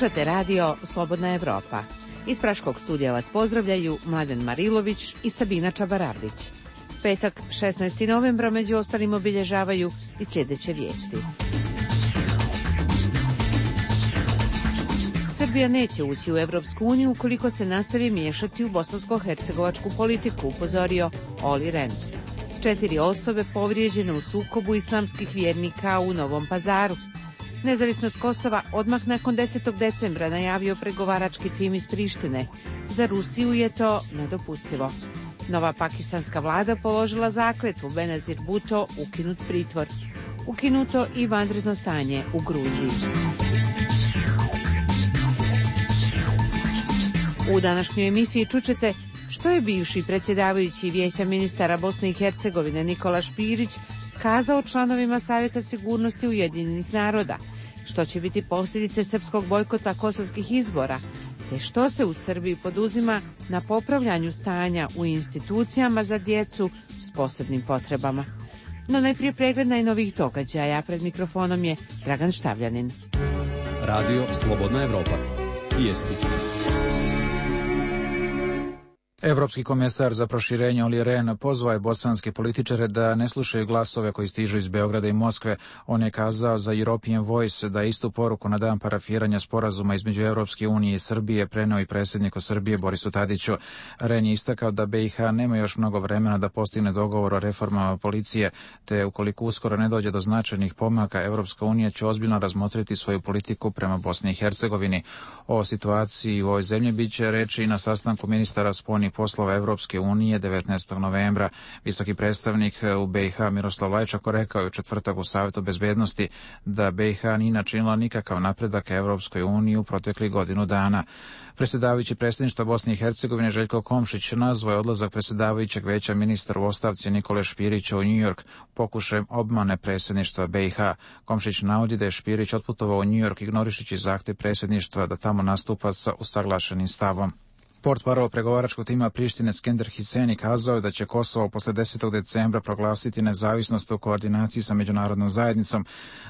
Slušate radio Slobodna Evropa. Iz Praškog studija vas pozdravljaju Mladen Marilović i Sabina Čabarardić. Petak, 16. novembra, među ostalim obilježavaju i sljedeće vijesti. Srbija neće ući u Evropsku uniju ukoliko se nastavi miješati u bosansko-hercegovačku politiku, upozorio Olli Rehn. 4 osobe povrijeđene u sukobu islamskih vjernika u Novom Pazaru. Nezavisnost Kosova odmah nakon 10. decembra najavio pregovarački tim iz Prištine. Za Rusiju je to nedopustivo. Nova pakistanska vlada položila zakletvu, Benazir Bhutto ukinut pritvor. Ukinuto i vanredno stanje u Gruziji. U današnjoj emisiji čućete što je bivši predsjedavajući Vijeća ministara Bosne i Hercegovine Nikola Špirić kazao članovima Savjeta sigurnosti Ujedinjenih naroda, što će biti posljedice srpskog bojkota kosovskih izbora, te što se u Srbiji poduzima na popravljanju stanja u institucijama za djecu s posebnim potrebama. No najprije pregled najnovijih događaja. Pred mikrofonom je Dragan Štavljanin. Radio Slobodna Evropa. Vijesti. Evropski komesar za proširenje Olli Rehn pozvao je bosanske političare da ne slušaju glasove koji stižu iz Beograda i Moskve. On je kazao za European Voice da istu poruku na dan parafiranja sporazuma između Evropske unije i Srbije preneo i predsjedniku Srbije Borisu Tadiću. Rehn je istakao da BiH nema još mnogo vremena da postigne dogovor o reformama policije, te ukoliko uskoro ne dođe do značajnih pomaka, Evropska unija će ozbiljno razmotriti svoju politiku prema Bosni i Hercegovini. O situaciji u ovoj zemlji biće reči i na sastanku ministara spoljnih poslova Evropske unije 19. novembra. Visoki predstavnik u BiH Miroslav Lajčak rekao je u četvrtak u Savjetu bezbednosti da BiH nije načinila nikakav napredak Evropskoj uniji u proteklih godinu dana. Predsjedavajući predsjedništva Bosne i Hercegovine Željko Komšić nazvao je odlazak predsjedavajućeg Vijeća ministara u ostavci Nikole Špirića u New York pokušajem obmane predsjedništva BiH. Komšić navodi da je Špirić otputovao u New York ignorišući zahtjev predsjedništva da tamo nastupa sa usaglašenim stavom. Portparol pregovaračkog tima Prištine Skender Hiseni kazao je da će Kosovo posle 10. decembra proglasiti nezavisnost u koordinaciji sa međunarodnom zajednicom,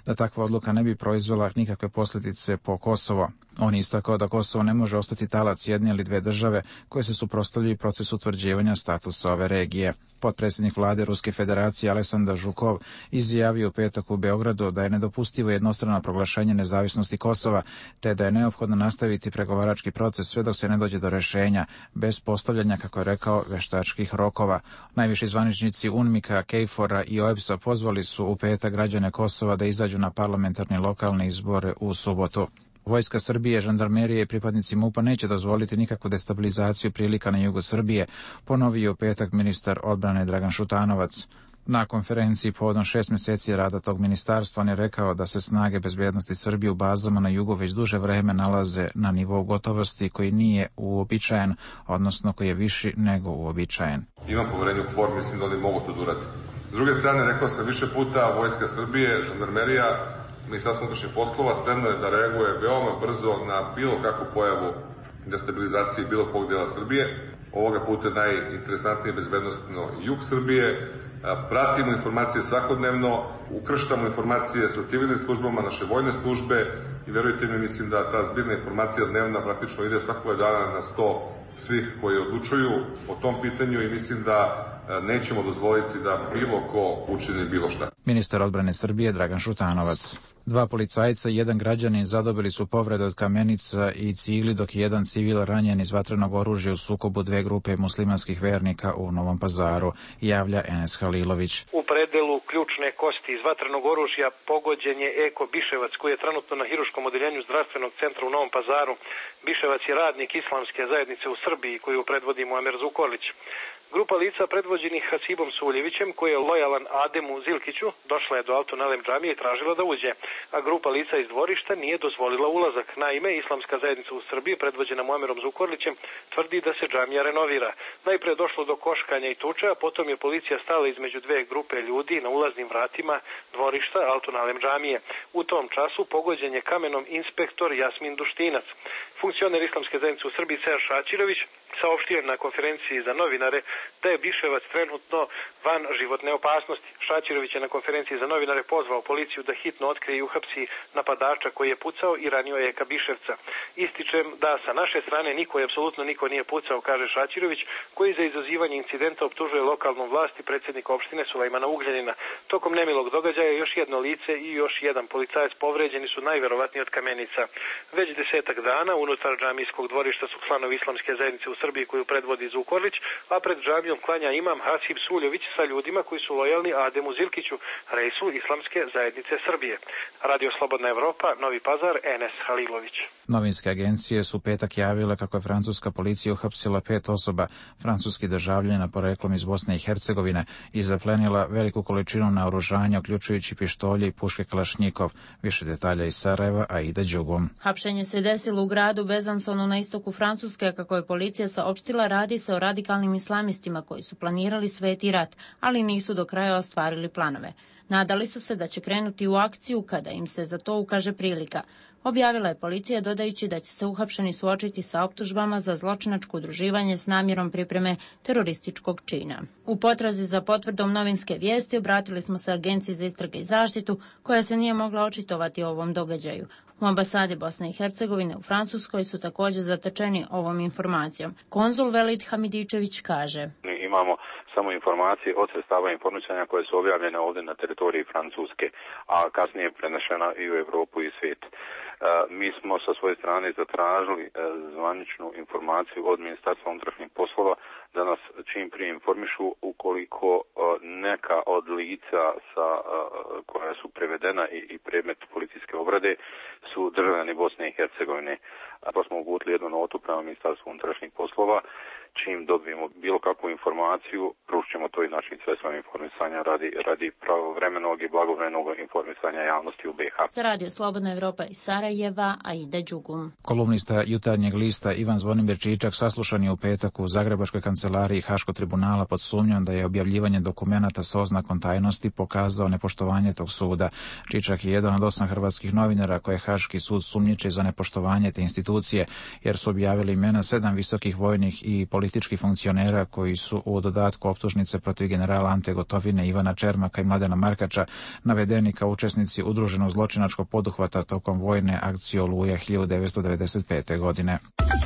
da takva odluka ne bi proizvela nikakve posljedice po Kosovo. On je istakao da Kosovo ne može ostati talac jedne ili dve države koje se suprotstavljaju procesu utvrđivanja statusa ove regije. Potpredsjednik vlade Ruske federacije Aleksandar Žukov izjavio u petak u Beogradu da je nedopustivo jednostrano proglašenje nezavisnosti Kosova, te da je neophodno nastaviti pregovarački proces sve dok se ne dođe do rješenja, bez postavljanja, kako je rekao, veštačkih rokova. Najviši zvaničnici UNMIK-a, KFOR-a i OEBS-a pozvali su u petak građane Kosova da izađu na parlamentarne lokalne izbore u subotu. Vojska Srbije, žandarmerije i pripadnici MUP-a neće dozvoliti nikakvu destabilizaciju prilika na jugu Srbije, ponovio u petak ministar odbrane Dragan Šutanovac. Na konferenciji povodom 6 mjeseci rada tog ministarstva on je rekao da se snage bezbednosti Srbije u bazama na jugu već duže vreme nalaze na nivou gotovosti koji nije uobičajen, odnosno koji je viši nego uobičajen. Imam poverenje u KFOR, mislim da oni mogu to da urade. S druge strane, rekao sam više puta, Vojska Srbije, žandarmerija, Ministarstvo unutrašnjih poslova spremno je da reaguje veoma brzo na bilo kakvu pojavu destabilizacije bilo kog dela Srbije. Ovoga puta najinteresantnije bezbednostno jug Srbije. Pratimo informacije svakodnevno, ukrštamo informacije sa civilnim službama, naše vojne službe i verujte mi, mislim da ta zbirna informacija dnevna praktično ide svakog dana na 100 svih koji odlučuju o tom pitanju i mislim da nećemo dozvoliti da bilo ko učini bilo šta. Ministar odbrane Srbije Dragan Šutanovac. 2 policajca i 1 građanin zadobili su povrede od kamenica i cigli, dok je 1 civil ranjen iz vatrenog oružja u sukobu 2 grupe muslimanskih vernika u Novom Pazaru, javlja Enes Halilović. U predelu ključne kosti iz vatrenog oružja pogođen je Eko Biševac, koji je trenutno na hiruškom odeljenju zdravstvenog centra u Novom Pazaru. Biševac je radnik islamske zajednice u Srbiji koju predvodi Muamer Zukorlić. Grupa lica predvođenih Hasibom Suljevićem, koji je lojalan Ademu Zilkiću, došla je do Altunalem džamije i tražila da uđe, a grupa lica iz dvorišta nije dozvolila ulazak. Naime, islamska zajednica u Srbiji, predvođena Muamerom Zukorlićem, tvrdi da se džamija renovira. Najpre došlo do koškanja i tuče, a potom je policija stala između 2 grupe ljudi na ulaznim vratima dvorišta Altunalem džamije. U tom času pogođen je kamenom inspektor Jasmin Duštinac. Funkcioner islamske zajednice u Srbiji Seja Šačirović saopštio je na konferenciji za novinare da je Biševac trenutno van životne opasnosti. Šaćirović je na konferenciji za novinare pozvao policiju da hitno otkrije i uhapsi napadača koji je pucao i ranio Eka Biševca. Ističem da sa naše strane apsolutno niko nije pucao, kaže Šaćirović, koji za izazivanje incidenta optužuje lokalnu vlast i predsjednika opštine Sulejmana Ugljanina. Tokom nemilog događaja još jedno lice i još jedan policajac povređeni su najverovatnije od kamenica. Već 10 dana unutar džamijskog dvorišta su članovi islamske zajednice u Srbiji koju predvodi Zukorlić, a pred džamijom klanja imam Hasib Suljović sa ljudima koji su lojalni Ademu Zilkiću, reisu islamske zajednice Srbije. Radio Slobodna Evropa, Novi Pazar, Enes Halilović. Novinske agencije su petak javile kako je francuska policija uhapsila 5 osoba, francuskih državljana poreklom iz Bosne i Hercegovine, i zaplenila veliku količinu naoružanja, uključujući pištolje i puške Kalašnjikov. Više detalja iz Sarajeva, Aida Đugum. Hapšenje se desilo u gradu Bezansonu na istoku Francuske. Kako je policija saopštila, radi se o radikalnim islamistima koji su planirali sveti rat, ali nisu do kraja ostvarili planove. Nadali su se da će krenuti u akciju kada im se za to ukaže prilika. Objavila je policija, dodajući da će se uhapšeni suočiti sa optužbama za zločinačko udruživanje s namjerom pripreme terorističkog čina. U potrazi za potvrdom novinske vijesti obratili smo se Agenciji za istrage i zaštitu, koja se nije mogla očitovati o ovom događaju. U ambasadi Bosne i Hercegovine u Francuskoj su također zatečeni ovom informacijom. Konzul Velid Hamidičević kaže: Imamo samo informacije od sredstava informisanja koje su objavljene ovdje na teritoriji Francuske, a kasnije prenešena i u Europu i svijet. Mi smo sa svoje strane zatražili zvaničnu informaciju od Ministarstva unutrašnjih poslova da nas čim prije informišu ukoliko neka od lica koja su prevedena i predmet policijske obrade su državljani Bosne i Hercegovine. Pa smo uputili jednu notu prema Ministarstvu unutrašnjih poslova. Čim dobijemo bilo kakvu informaciju, pružit to i našim sredstvima informisanja radi pravovremenog i blagovremenog informisanja javnosti u BiH. Za Radio Slobodna Evropa iz Sarajeva, Aida Đugum. Kolumnista Jutarnjeg lista Ivan Zvonimir Čičak saslušan je u petak u Zagrebačkoj kancelariji Haškog tribunala pod sumnjom da je objavljivanje dokumenata sa oznakom tajnosti pokazao nepoštovanje tog suda. Čičak je jedan od 8 hrvatskih novinara koje Haški sud sumnjiči za nepoštovanje te institucije, jer su objavili imena 7 visokih vojnih i političkih funkcionera koji su u dodatku optužnice protiv generala Ante Gotovine, Ivana Čermaka i Mladena Markača navedeni kao učesnici udruženog zločinačkog poduhvata tokom vojne akcije Oluja 1995. godine.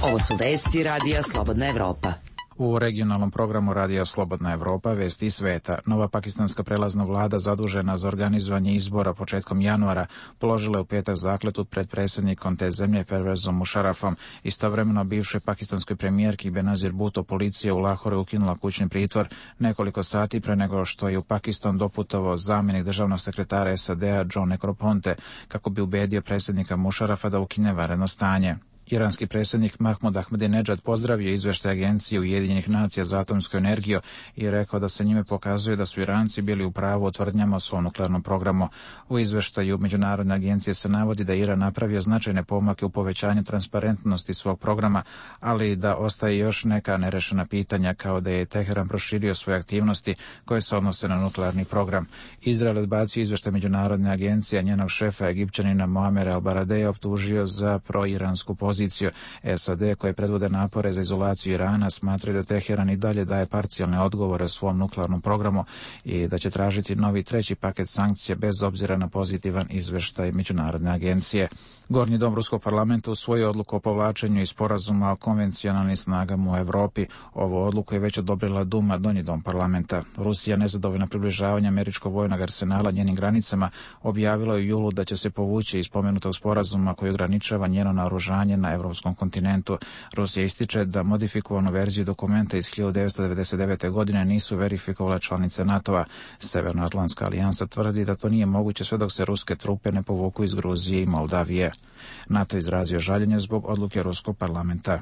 Ovo su vesti Radija Slobodna Evropa. U regionalnom programu Radija Slobodna Evropa vesti sveta. Nova pakistanska prelazna vlada zadužena za organizovanje izbora početkom januara položila je u petak zakletvu pred predsjednikom te zemlje Pervezom Musharrafom. Istovremeno bivšoj pakistanskoj premijerki Benazir Bhutto policija u Lahore ukinula kućni pritvor nekoliko sati pre nego što je u Pakistan doputovao zamjenik državnog sekretara SAD-a John Negroponte kako bi ubedio predsjednika Musharrafa da ukine vanredno stanje. Iranski predsjednik Mahmud Ahmadinejad pozdravio izvještaj Agencije Ujedinjenih nacija za atomsku energiju i rekao da se njime pokazuje da su Iranci bili u pravu o tvrdnjama o svom nuklearnom programu. U izvještaju Međunarodne agencije se navodi da je Iran napravio značajne pomake u povećanju transparentnosti svog programa, ali da ostaje još neka nerešena pitanja, kao da je Teheran proširio svoje aktivnosti koje se odnose na nuklearni program. Izrael odbacio izvještaj Međunarodne agencije, a njenog šefa Egipćanina Moamera al-Baradeja optužio za proiransku poziciju. SAD, koje predvode napore za izolaciju Irana, smatraju da Teheran i dalje daje parcijalne odgovore svom nuklearnom programu i da će tražiti novi 3. paket sankcija bez obzira na pozitivan izveštaj Međunarodne agencije. Gornji dom Ruskog parlamenta usvojio odluku o povlačenju iz sporazuma o konvencionalnim snagama u Evropi. Ovu odluku je već odobrila Duma, donji dom parlamenta. Rusija, nezadovoljna približavanja američkog vojnog arsenala njenim granicama, objavila u julu da će se povući iz spomenutog sporazuma koji ograničava njeno naoružanje na evropskom kontinentu. Rusija ističe da modifikovanu verziju dokumenta iz 1999. godine nisu verifikovale članice NATO-a. Severnoatlantska alijansa tvrdi da to nije moguće sve dok se ruske trupe ne povuku iz Gruzije i Moldavije. NATO izrazio žaljenje zbog odluke Ruskog parlamenta.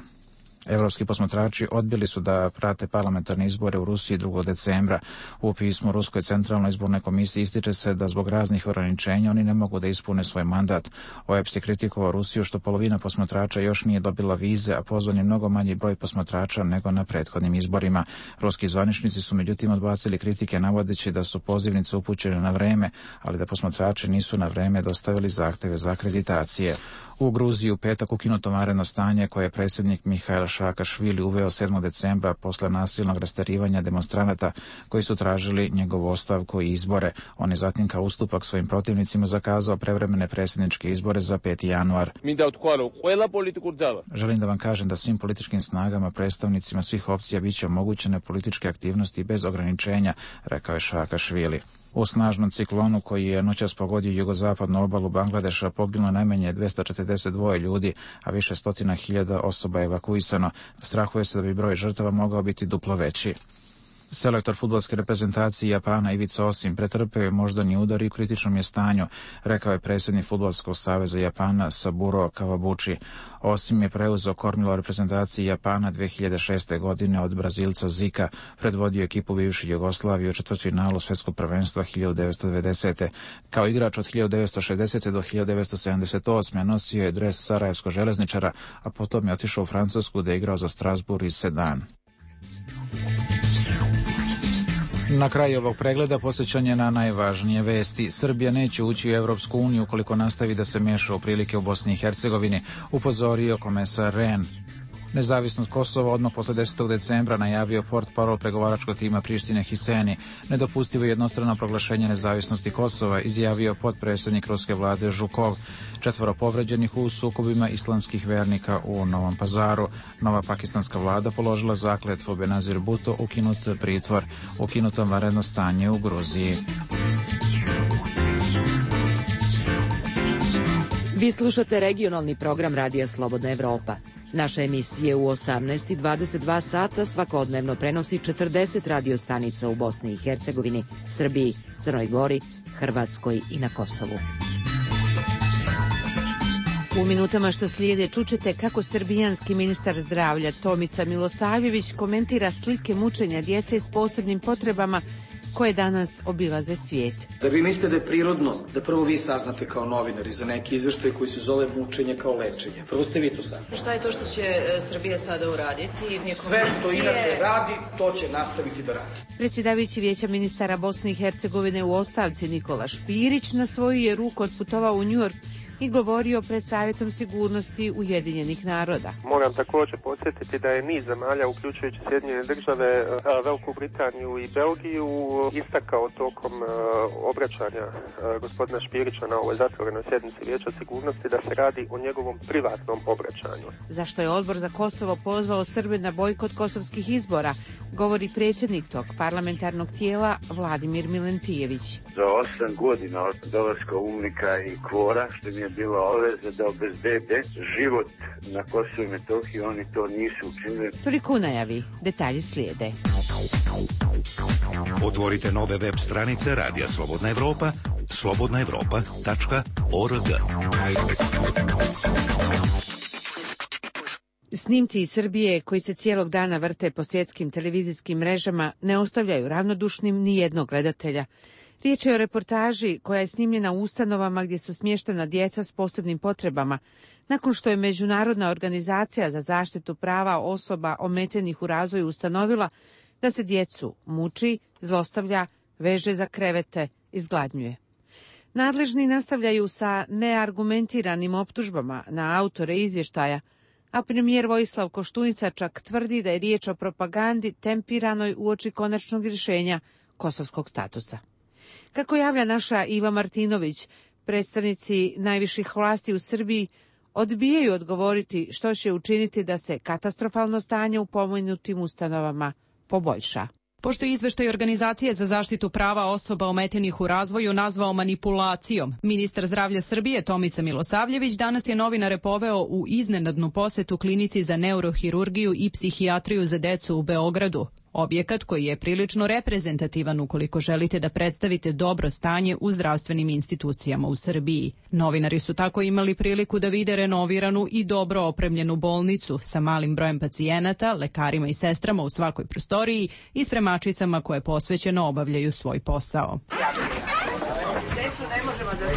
Evropski posmatrači odbili su da prate parlamentarne izbore u Rusiji 2. decembra. U pismu Ruskoj centralnoj izbornoj komisiji ističe se da zbog raznih ograničenja oni ne mogu da ispune svoj mandat. OEBS je kritikovao Rusiju što polovina posmatrača još nije dobila vize, a pozvan je mnogo manji broj posmatrača nego na prethodnim izborima. Ruski zvaničnici su međutim odbacili kritike navodeći da su pozivnice upućene na vreme, ali da posmatrači nisu na vreme dostavili zahteve za akreditacije. U Gruziji u petak ukinuto vanredno stanje koje je predsjednik Mihail Saakašvili uveo 7. decembra posle nasilnog rasterivanja demonstranata koji su tražili njegovu ostavku i izbore. On je zatim kao ustupak svojim protivnicima zakazao prevremene predsjedničke izbore za 5. januar. Želim da vam kažem da svim političkim snagama, predstavnicima svih opcija biće omogućene političke aktivnosti bez ograničenja, rekao je Saakašvili. U snažnom ciklonu koji je noćas pogodio jugozapadnu obalu Bangladeša poginulo najmanje 242 ljudi, a više stotina hiljada osoba je evakuisano. Strahuje se da bi broj žrtava mogao biti duplo veći. Selektor fudbalske reprezentacije Japana Ivica Osim pretrpeo je moždani udar i u kritičnom je stanju, rekao je predsjednik Fudbalskog saveza Japana Saburo Kawabuchi. Osim je preuzeo kormilo reprezentacije Japana 2006. godine od Brazilca Zika, predvodio ekipu bivše Jugoslavije u četvrtfinalu svjetskog prvenstva 1990. Kao igrač od 1960. do 1978. nosio je dres sarajevskog železničara, a potom je otišao u Francusku da je igrao za Strasbourg i Sedan. Na kraju ovog pregleda posjećanje na najvažnije vesti. Srbija neće ući u Evropsku uniju ukoliko nastavi da se miješa u prilike u Bosni i Hercegovini, upozorio komesar Rehn. Nezavisnost Kosova odmah posle 10. decembra najavio portparol pregovaračkog tima Prištine Hiseni. Nedopustivo jednostrano proglašenje nezavisnosti Kosova izjavio potpredsjednik ruske vlade Žukov. 4 povređenih u sukobima islamskih vernika u Novom Pazaru. Nova pakistanska vlada položila zakletvu, Benazir Bhutto ukinut pritvor, ukinuto vanredno stanje u Gruziji. Vi slušate regionalni program Radija Slobodna Evropa. Naša emisija u 18:22 sata svakodnevno prenosi 40 radio stanica u Bosni i Hercegovini, Srbiji, Crnoj Gori, Hrvatskoj i na Kosovu. U minutama što slijede čućete kako srbijanski ministar zdravlja Tomica Milosavljević komentira slike mučenja djece s posebnim potrebama koje danas obilaze svijet. Zar vi mislite da je prirodno da prvo vi saznate kao novinari za neki izveštaj koji se zove mučenje kao lečenje? Prvo ste vi to saznali. Šta je to što će Srbija sada uraditi? Sve što inače radi, to će nastaviti da radi. Predsjedavajući Vijeća ministara Bosne i Hercegovine u ostavci Nikola Špirić na svoju je ruku otputovao u New York i govorio pred Savjetom sigurnosti Ujedinjenih naroda. Moram također podsjetiti da je niz zemalja, uključujući Sjedinjene države, Veliku Britaniju i Belgiju, istakao tokom obraćanja gospodina Špirića na ovoj zatvorenoj sjednici Vijeća sigurnosti da se radi o njegovom privatnom obraćanju. Zašto je Odbor za Kosovo pozvao Srbe na bojkot kosovskih izbora, govori predsjednik tog parlamentarnog tijela Vladimir Milentijević. Za 8 godina od dolaska UNMIK-a i KFOR-a, što mi je bila obaveza da obezbede život na Kosovu i Metohiji, oni to nisu učinili. Toliko u najavi, detalji slijede. Otvorite nove web stranice Radija Slobodna Evropa, slobodnaevropa.org. Snimci iz Srbije koji se cijelog dana vrte po svjetskim televizijskim mrežama ne ostavljaju ravnodušnim ni jednog gledatelja. Riječ je o reportaži koja je snimljena u ustanovama gdje su smještena djeca s posebnim potrebama, nakon što je Međunarodna organizacija za zaštitu prava osoba ometenih u razvoju ustanovila da se djecu muči, zlostavlja, veže za krevete, izgladnjuje. Nadležni nastavljaju sa neargumentiranim optužbama na autore izvještaja, a premijer Vojislav Koštunica čak tvrdi da je riječ o propagandi tempiranoj uoči konačnog rješenja kosovskog statusa. Kako javlja naša Iva Martinović, predstavnici najviših vlasti u Srbiji odbijaju odgovoriti što će učiniti da se katastrofalno stanje u pomenutim ustanovama poboljša. Pošto je izveštaj Organizacije za zaštitu prava osoba ometenih u razvoju nazvao manipulacijom, ministar zdravlja Srbije Tomica Milosavljević danas je novinare poveo u iznenadnu posetu klinici za neurohirurgiju i psihijatriju za decu u Beogradu. Objekat koji je prilično reprezentativan ukoliko želite da predstavite dobro stanje u zdravstvenim institucijama u Srbiji. Novinari su tako imali priliku da vide renoviranu i dobro opremljenu bolnicu sa malim brojem pacijenata, lekarima i sestrama u svakoj prostoriji i spremačicama koje posvećeno obavljaju svoj posao. Decu ne možemo da se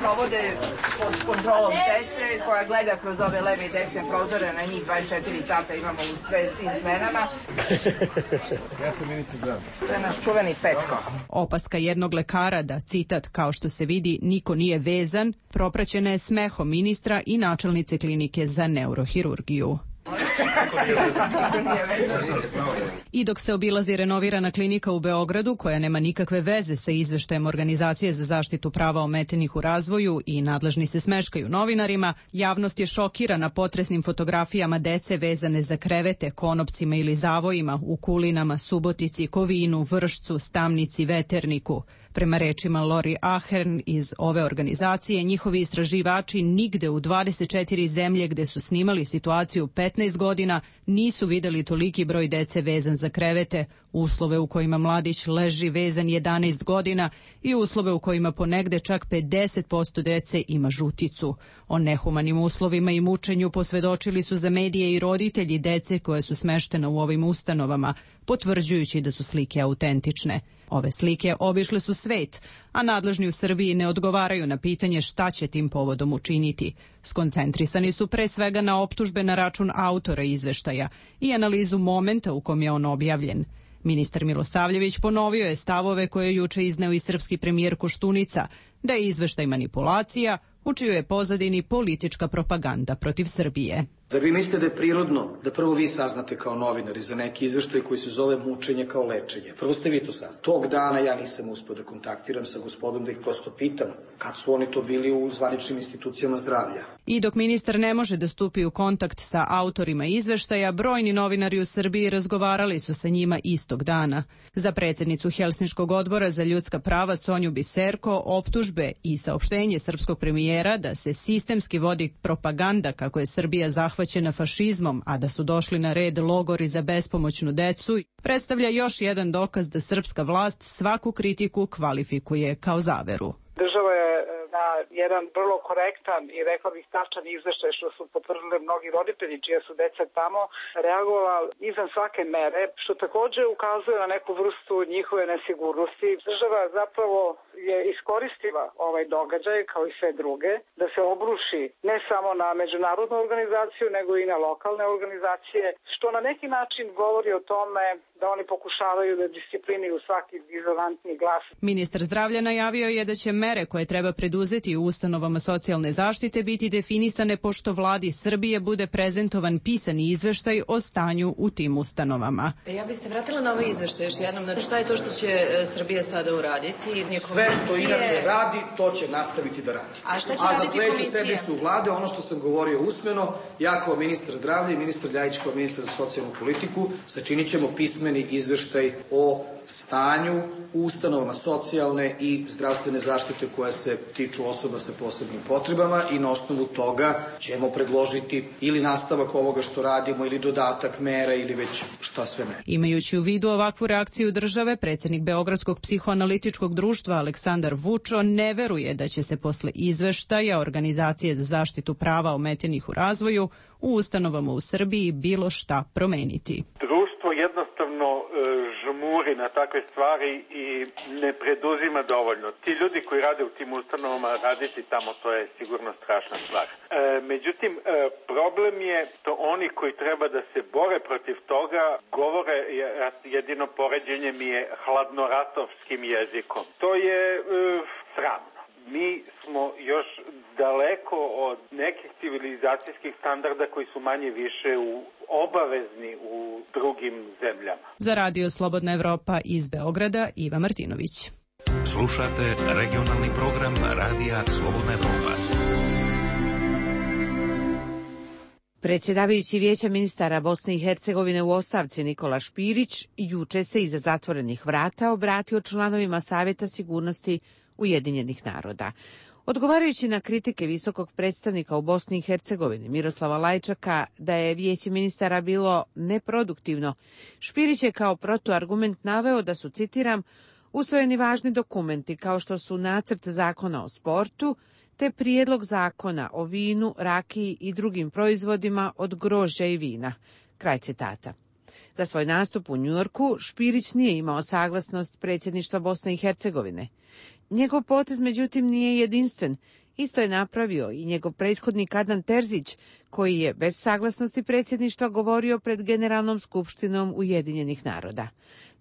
provode pod kontrolom sestre koja gleda kroz ove leve i desne prozore, na njih 24 sata imamo u svim smenama. Ja sam ministar zdravlja. To je naš čuveni Petko. Opaska jednog lekara da, citat, kao što se vidi, niko nije vezan, propraćena je smehom ministra i načelnice klinike za neurohirurgiju. I dok se obilazi renovirana klinika u Beogradu, koja nema nikakve veze sa izveštajem Organizacije za zaštitu prava ometenih u razvoju i nadležni se smeškaju novinarima, javnost je šokirana potresnim fotografijama dece vezane za krevete, konopcima ili zavojima u Kulinama, Subotici, Kovinu, Vršcu, Stamnici, Veterniku. Prema rečima Lori Ahern iz ove organizacije, njihovi istraživači nigde u 24 zemlje gde su snimali situaciju 15 godina nisu videli toliki broj dece vezan za krevete, uslove u kojima mladić leži vezan 11 godina i uslove u kojima ponegde čak 50% dece ima žuticu. O nehumanim uslovima i mučenju posvedočili su za medije i roditelji dece koje su smeštena u ovim ustanovama, potvrđujući da su slike autentične. Ove slike obišle su svet, a nadležni u Srbiji ne odgovaraju na pitanje šta će tim povodom učiniti. Skoncentrisani su pre svega na optužbe na račun autora izveštaja i analizu momenta u kom je on objavljen. Ministar Milosavljević ponovio je stavove koje je juče izneo i srpski premijer Koštunica, da je izveštaj manipulacija, u čijoj je pozadini politička propaganda protiv Srbije. Zar vi mislite da je prirodno da prvo vi saznate kao novinari za neki izveštaj koji se zove mučenje kao lečenje? Prvo ste vi to saznali. Tog dana ja nisam uspio da kontaktiram sa gospodom da ih prosto pitam kad su oni to bili u zvaničnim institucijama zdravlja. I dok ministar ne može da stupi u kontakt sa autorima izveštaja, brojni novinari u Srbiji razgovarali su sa njima istog dana. Za predsjednicu Helsinškog odbora za ljudska prava Sonju Biserko optužbe i saopštenje srpskog premijera da se sistemski vodi propaganda kako je Srbija zahvaćena fašizmom, a da su došli na red logori za bespomoćnu decu, predstavlja još jedan dokaz da srpska vlast svaku kritiku kvalifikuje kao zaveru. Država je na jedan vrlo korektan i rekla bih tačan izveštaj, što su potvrdili mnogi roditelji čija su deca tamo, reagovala izvan svake mere, što takođe ukazuje na neku vrstu njihove nesigurnosti. Država zapravo je iskoristila ovaj događaj, kao i sve druge, da se obruši ne samo na međunarodnu organizaciju, nego i na lokalne organizacije, što na neki način govori o tome da oni pokušavaju da disciplinuju svaki dizonantni glas. Ministar zdravlja najavio je da će mere koje treba preduzeti u ustanovama socijalne zaštite biti definisane pošto vladi Srbije bude prezentovan pisani izveštaj o stanju u tim ustanovama. Ja bih se vratila na ovaj izveštaj još jednom. Znači, šta je to što će Srbija sada uraditi? Sve što inače radi, to će nastaviti da radi. A šta će raditi komisija? A za sledeću sednicu vlade, ono što sam govorio usmeno, ja kao ministar zdravlja i ministar Ljajić kao ministar za socijalnu politiku, sačinit ćemo pismeni izveštaj o stanju u ustanovama socijalne i zdravstvene zaštite koja se tiču osoba sa posebnim potrebama i na osnovu toga ćemo predložiti ili nastavak ovoga što radimo ili dodatak mera ili već šta sve ne. Imajući u vidu ovakvu reakciju države, predsjednik Beogradskog psihoanalitičkog društva Aleksandar Vučo ne veruje da će se posle izveštaja Organizacije za zaštitu prava ometenih u razvoju u ustanovama u Srbiji bilo šta promeniti. Društvo jednostavno žmuri na takve stvari i ne preduzima dovoljno. Ti ljudi koji rade u tim ustanovama, raditi tamo, to je sigurno strašna stvar. Međutim, problem je to oni koji treba da se bore protiv toga, govore, jedino poređenje mi je hladnoratovskim jezikom. To je sramno. Mi smo još daleko od nekih civilizacijskih standarda koji su manje više obavezni u drugim zemljama. Za Radio Slobodna Evropa iz Beograda, Iva Martinović. Slušate regionalni program Radija Slobodna Evropa. Predsjedavajući Vijeća ministara Bosne i Hercegovine u ostavci Nikola Špirić juče se iza zatvorenih vrata obratio članovima Savjeta sigurnosti Ujedinjenih naroda. Odgovarajući na kritike visokog predstavnika u Bosni i Hercegovini Miroslava Lajčaka da je Vijeće ministara bilo neproduktivno, Špirić je kao protuargument naveo da su, citiram, usvojeni važni dokumenti kao što su nacrt zakona o sportu te prijedlog zakona o vinu, rakiji i drugim proizvodima od grožđa i vina. Kraj citata. Za svoj nastup u Njujorku Špirić nije imao saglasnost predsjedništva Bosne i Hercegovine. Njegov potez, međutim, nije jedinstven. Isto je napravio i njegov prethodnik Adnan Terzić, koji je bez saglasnosti predsjedništva govorio pred Generalnom skupštinom Ujedinjenih naroda.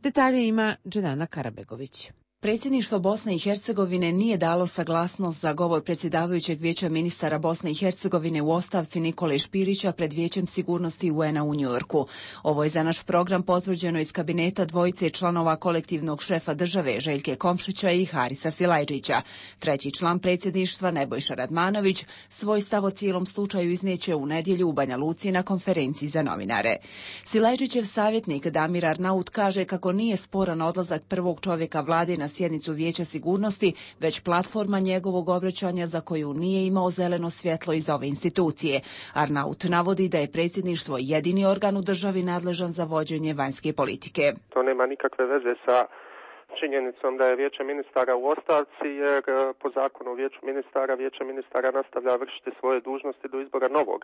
Detalje ima Dženana Karabegović. Predsjedništvo Bosne i Hercegovine nije dalo saglasnost za govor predsjedavajućeg Vijeća ministara Bosne i Hercegovine u ostavci Nikole Špirića pred Vijećem sigurnosti UN-a u Njujorku. Ovo je za naš program potvrđeno iz kabineta dvojice članova kolektivnog šefa države Željke Komšića i Harisa Silajdžića. Treći član predsjedništva Nebojša Radmanović svoj stav o cijelom slučaju izneće u nedjelju u Banja Luci na konferenciji za novinare. Silajdžićev savjetnik Damir Arnaut kaže kako nije sporan odlazak prvog čovjeka vlade na sjednicu Vijeća sigurnosti, već platforma njegovog obraćanja za koju nije imao zeleno svjetlo iz ove institucije. Arnaut navodi da je predsjedništvo jedini organ u državi nadležan za vođenje vanjske politike. To nema nikakve veze sa činjenicom da je Vijeće ministara u ostavci, jer po zakonu o Vijeće ministara nastavlja vršiti svoje dužnosti do izbora novog.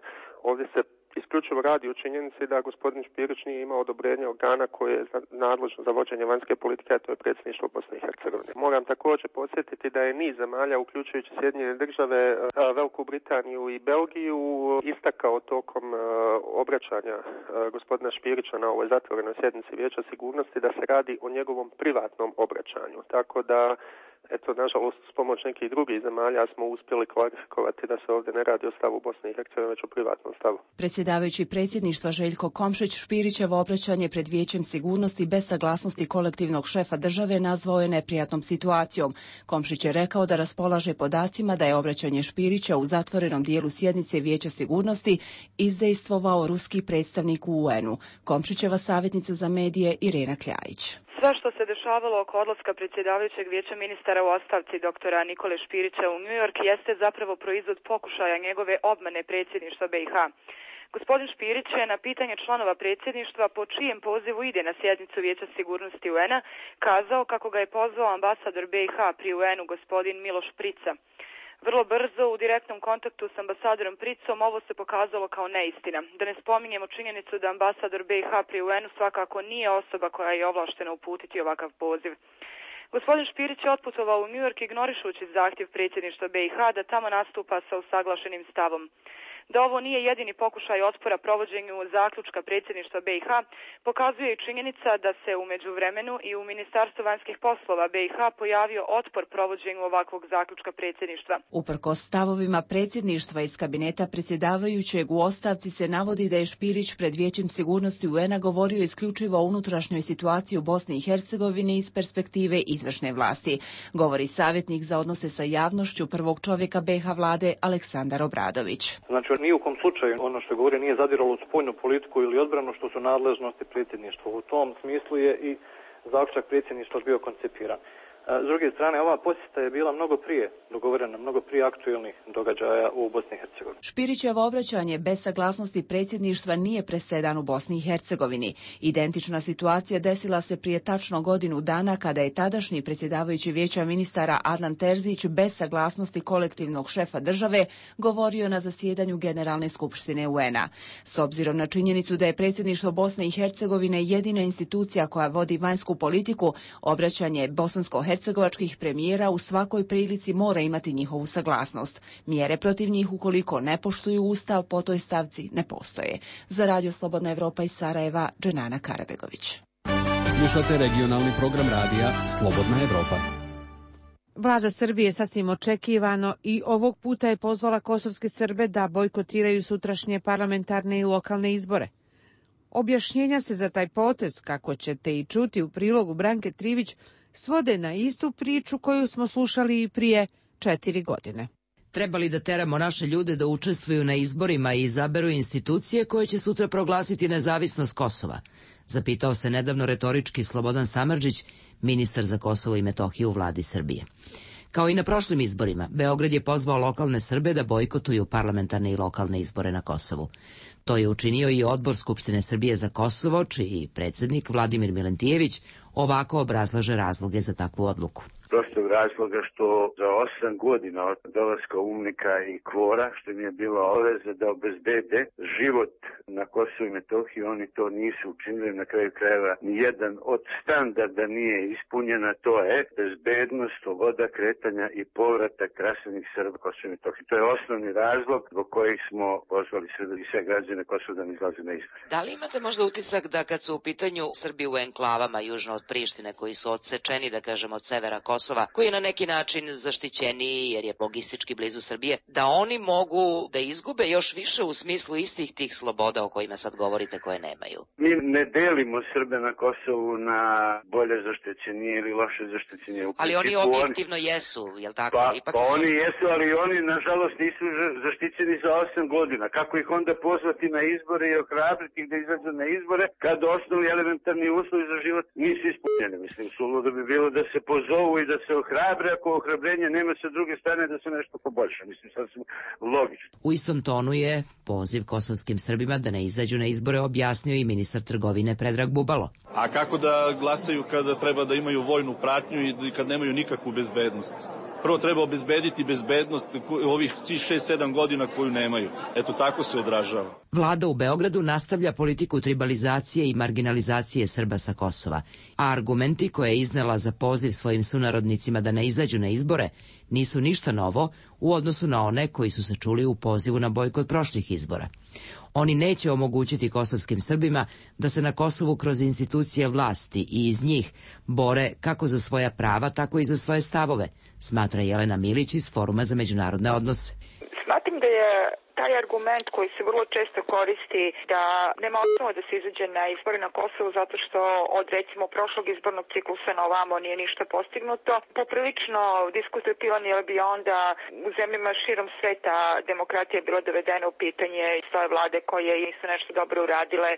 Ovdje se isključivo radi o činjenici da gospodin Špirić nije imao odobrenje organa koje je nadležno za vođenje vanjske politike, a to je predsjedništvo Bosne i Hercegovine. Moram također podsjetiti da je niz zemalja, uključujući Sjedinjene države, Veliku Britaniju i Belgiju, istakao tokom obraćanja gospodina Špirića na ovoj zatvorenoj sjednici Vijeća sigurnosti da se radi o njegovom privatnom obraćanju. Tako da, eto, nažalost, s pomoć nekih drugih zemalja smo uspjeli klarifikovati da se ovdje ne radi o stavu Bosne i Hercegovine, već o privatnom stavu. Predsjedavajući predsjedništva Željko Komšić Špirićevo obraćanje pred Vijećem sigurnosti bez saglasnosti kolektivnog šefa države nazvao je neprijatnom situacijom. Komšić je rekao da raspolaže podacima da je obraćanje Špirića u zatvorenom dijelu sjednice Vijeća sigurnosti izdejstvovao ruski predstavnik u UN-u. Komšićeva savjetnica za medije Irena Kljajić. Sve što se dešavalo oko odlaska predsjedavajućeg Vijeća ministara u ostavci doktora Nikole Špirića u New York jeste zapravo proizvod pokušaja njegove obmane predsjedništva BiH. Gospodin Špirić je na pitanje članova predsjedništva po čijem pozivu ide na sjednicu Vijeća sigurnosti UN-a kazao kako ga je pozvao ambasador BiH pri UN-u gospodin Miloš Prica. Vrlo brzo u direktnom kontaktu s ambasadorom Pricom ovo se pokazalo kao neistina. Da ne spominjemo činjenicu da ambasador BiH pri UN-u svakako nije osoba koja je ovlaštena uputiti ovakav poziv. Gospodin Špirić je otputovao u New York ignorišući zahtjev predsjedništva BiH da tamo nastupa sa usaglašenim stavom. Da ovo nije jedini pokušaj otpora provođenju zaključka predsjedništva BiH pokazuje i činjenica da se u međuvremenu i u Ministarstvu vanjskih poslova BiH pojavio otpor provođenju ovakvog zaključka predsjedništva. Uprkos stavovima predsjedništva iz kabineta predsjedavajućeg u ostavci se navodi da je Špirić pred Vijećem sigurnosti UN-a govorio isključivo o unutrašnjoj situaciji u Bosni i Hercegovini iz perspektive izvršne vlasti, govori savjetnik za odnose sa javnošću prvog čovjeka BiH vlade Aleksandar Obradović. Znači, ni u kom slučaju ono što govori nije zadiralo u spoljnu politiku ili odbranu što su nadležnosti predsjedništva. U tom smislu je i zaključak predsjedništva bio koncipiran. S druge strane, ova posjeta je bila mnogo prije dogovorena, mnogo prije aktuelnih događaja u Bosni i Hercegovini. Špirićevo obraćanje bez saglasnosti predsjedništva nije presedan u Bosni i Hercegovini. Identična situacija desila se prije tačno godinu dana kada je tadašnji predsjedavajući Vijeća ministara Adnan Terzić bez saglasnosti kolektivnog šefa države govorio na zasjedanju Generalne skupštine UN-a. S obzirom na činjenicu da je predsjedništvo Bosne i Hercegovine jedina institucija koja vodi vanjsku politiku, obraćanje bosansko-hercegovačkih premijera u svakoj prilici mora imati njihovu saglasnost. Mjere protiv njih ukoliko ne poštuju Ustav po toj stavci ne postoje. Za Radio Slobodna Evropa iz Sarajeva, Dženana Karabegović. Slušate regionalni program radija Slobodna Evropa. Vlada Srbije sasvim očekivano i ovog puta je pozvala kosovske Srbe da bojkotiraju sutrašnje parlamentarne i lokalne izbore. Objašnjenja se za taj potez, kako ćete i čuti u prilogu Branke Trivić, svode na istu priču koju smo slušali i prije 4 godine. Treba li da teramo naše ljude da učestvuju na izborima i izaberu institucije koje će sutra proglasiti nezavisnost Kosova? Zapitao se nedavno retorički Slobodan Samardžić, ministar za Kosovo i Metohiju u vladi Srbije. Kao i na prošlim izborima, Beograd je pozvao lokalne Srbe da bojkotuju parlamentarne i lokalne izbore na Kosovu. To je učinio i Odbor Skupštine Srbije za Kosovo, čiji predsjednik Vladimir Milentijević ovako obrazlaže razloge za takvu odluku. prostog razloga što za 8 godina od dolaska UNMIK-a i KFOR-a, što mi je bila obaveza da obezbede život na Kosovu i Metohiji, oni to nisu učinili. Na kraju krajeva nijedan od standarda nije ispunjena, to je bezbednost, sloboda kretanja i povratak raseljenih Srba Kosovu i Metohiji. To je osnovni razlog zbog kojih smo pozvali sve građane Kosova da ne izlaze na izbore. Da li imate možda utisak da kad su u pitanju Srbi u enklavama južno od Prištine, koji su odsečeni, da kažem, od severa Kosova, koji je na neki način zaštićeniji jer je logistički blizu Srbije, da oni mogu da izgube još više u smislu istih tih sloboda o kojima sad govorite koje nemaju? Mi ne delimo Srbe na Kosovu na bolje zaštićenije ili loše zaštićenije. Ali oni objektivno jesu, jel tako? Pa oni jesu, ali oni nažalost nisu zaštićeni za 8 godina. Kako ih onda pozvati na izbore i ohrabriti ih da izađu na izbore kad osnovni elementarni uslovi za život nisu ispunjeni? Mislim, suludo bi bilo da se pozovu i da se ohrabre, ako ohrabrenje nema sa druge strane da se nešto poboljša. Mislim, sasvim logično. U istom tonu je poziv kosovskim Srbima da ne izađu na izbore objasnio i ministar trgovine Predrag Bubalo. A kako da glasaju kada treba da imaju vojnu pratnju i kad nemaju nikakvu bezbednost? Prvo treba obezbediti bezbednost ovih 6-7 godina koju nemaju. Eto, tako se odražava. Vlada u Beogradu nastavlja politiku tribalizacije i marginalizacije Srba sa Kosova, a argumenti koje je iznela za poziv svojim sunarodnicima da ne izađu na izbore nisu ništa novo u odnosu na one koji su se čuli u pozivu na bojkot prošlih izbora. Oni neće omogućiti kosovskim Srbima da se na Kosovu kroz institucije vlasti i iz njih bore kako za svoja prava, tako i za svoje stavove, smatra Jelena Milić iz Foruma za međunarodne odnose. Smatram da je taj argument koji se vrlo često koristi da nema osnova da se izađe na izbore na Kosovu zato što od recimo prošlog izbornog ciklusa na ovamo nije ništa postignuto, poprilično diskutabilan, jer bi onda u zemljama širom sveta demokratija bila dovedena u pitanje i svoje vlade koje nisu nešto dobro uradile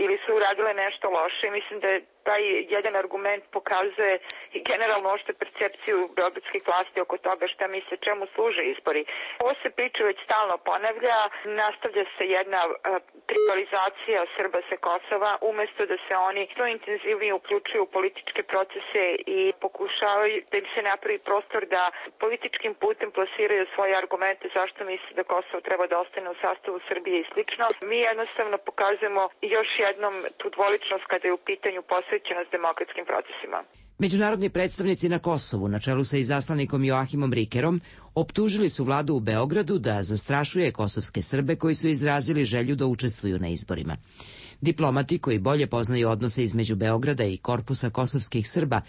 ili su uradile nešto loše. Mislim da je taj jedan argument pokazuje i generalno ošte percepciju beogradskih vlasti oko toga šta misle čemu služe izbori. Ovo se priča već stalno ponavlja, nastavlja se jedna tribalizacija Srba sa Kosova, umesto da se oni što intenzivnije uključuju u političke procese i pokušavaju da im se napravi prostor da političkim putem plasiraju svoje argumente zašto misle da Kosovo treba da ostane u sastavu Srbije i slično. Mi jednostavno pokazujemo još jednom tu dvoličnost kada je u pitanju posvećenost demokratskim procesima. Međunarodni predstavnici na Kosovu, na čelu sa izaslanikom Joahimom Rikerom, optužili su vladu u Beogradu da zastrašuje kosovske Srbe koji su izrazili želju da učestvuju na izborima. Diplomati koji bolje poznaju odnose između Beograda i korpusa kosovskih Srba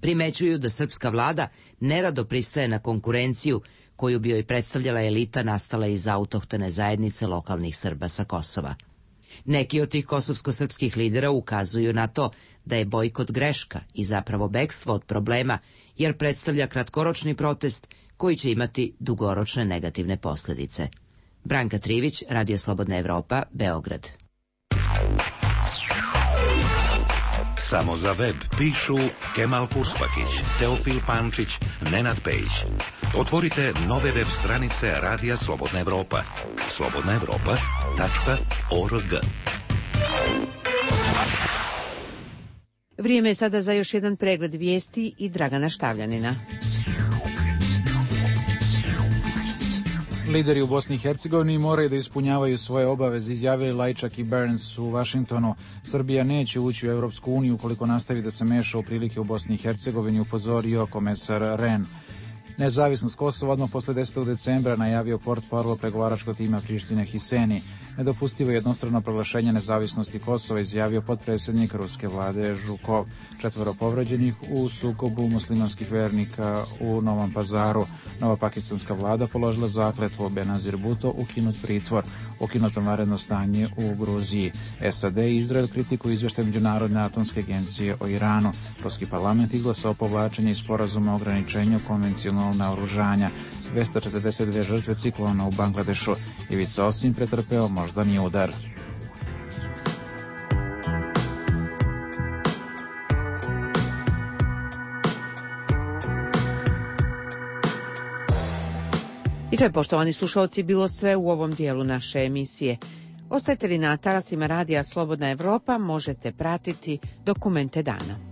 primećuju da srpska vlada nerado pristaje na konkurenciju koju bi joj predstavljala elita nastala iz autohtone zajednice lokalnih Srba sa Kosova. Neki od tih kosovsko-srpskih lidera ukazuju na to da je bojkot greška i zapravo bekstvo od problema, jer predstavlja kratkoročni protest koji će imati dugoročne negativne posljedice. Branka Trivić, Radio Slobodna Evropa, Beograd. Samo za web pišu Kemal Kurspakić, Teofil Pančić, Nenad Pejić. Otvorite nove web stranice Radija Slobodna Evropa. slobodnaevropa.org. Vrijeme je sada za još jedan pregled vijesti i Dragana Štavljanina. Lideri u Bosni i Hercegovini moraju da ispunjavaju svoje obaveze, izjavili Lajčak i Burns u Vašingtonu. Srbija neće ući u Evropsku uniju ukoliko nastavi da se meša u prilike u Bosni i Hercegovini, upozorio komesar Rehn. Nezavisnost Kosova odmah posle 10. decembra najavio portparol pregovaračkog tima Prištine Hiseni. Nedopustivo jednostrano proglašenje nezavisnosti Kosova izjavio potpredsjednik ruske vlade Žukov. 4 povređenih u sukobu muslimanskih vernika u Novom Pazaru. Nova pakistanska vlada položila zakletvu, Benazir Bhutto ukinut pritvor, ukinuto vanredno stanje u Gruziji. SAD i Izrael kritikuju izveštaj Međunarodne atomske agencije o Iranu. Ruski parlament izglasao povlačenje iz sporazuma o ograničenju konvencionalnog naoružanja. 242 žrtve ciklona u Bangladešu. Ivica Osim pretrpeo moždani udar. I to je, poštovani slušalci, bilo sve u ovom dijelu naše emisije. Ostajte li na talasima Radija Slobodna Evropa, možete pratiti Dokumente dana.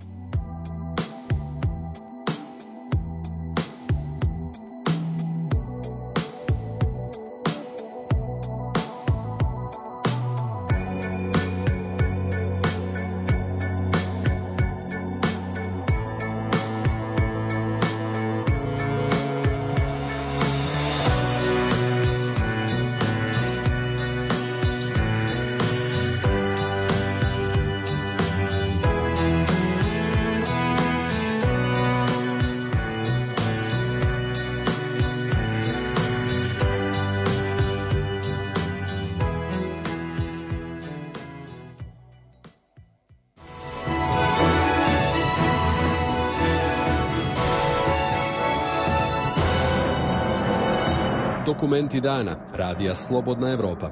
Dokumenti dana. Radija Slobodna Evropa.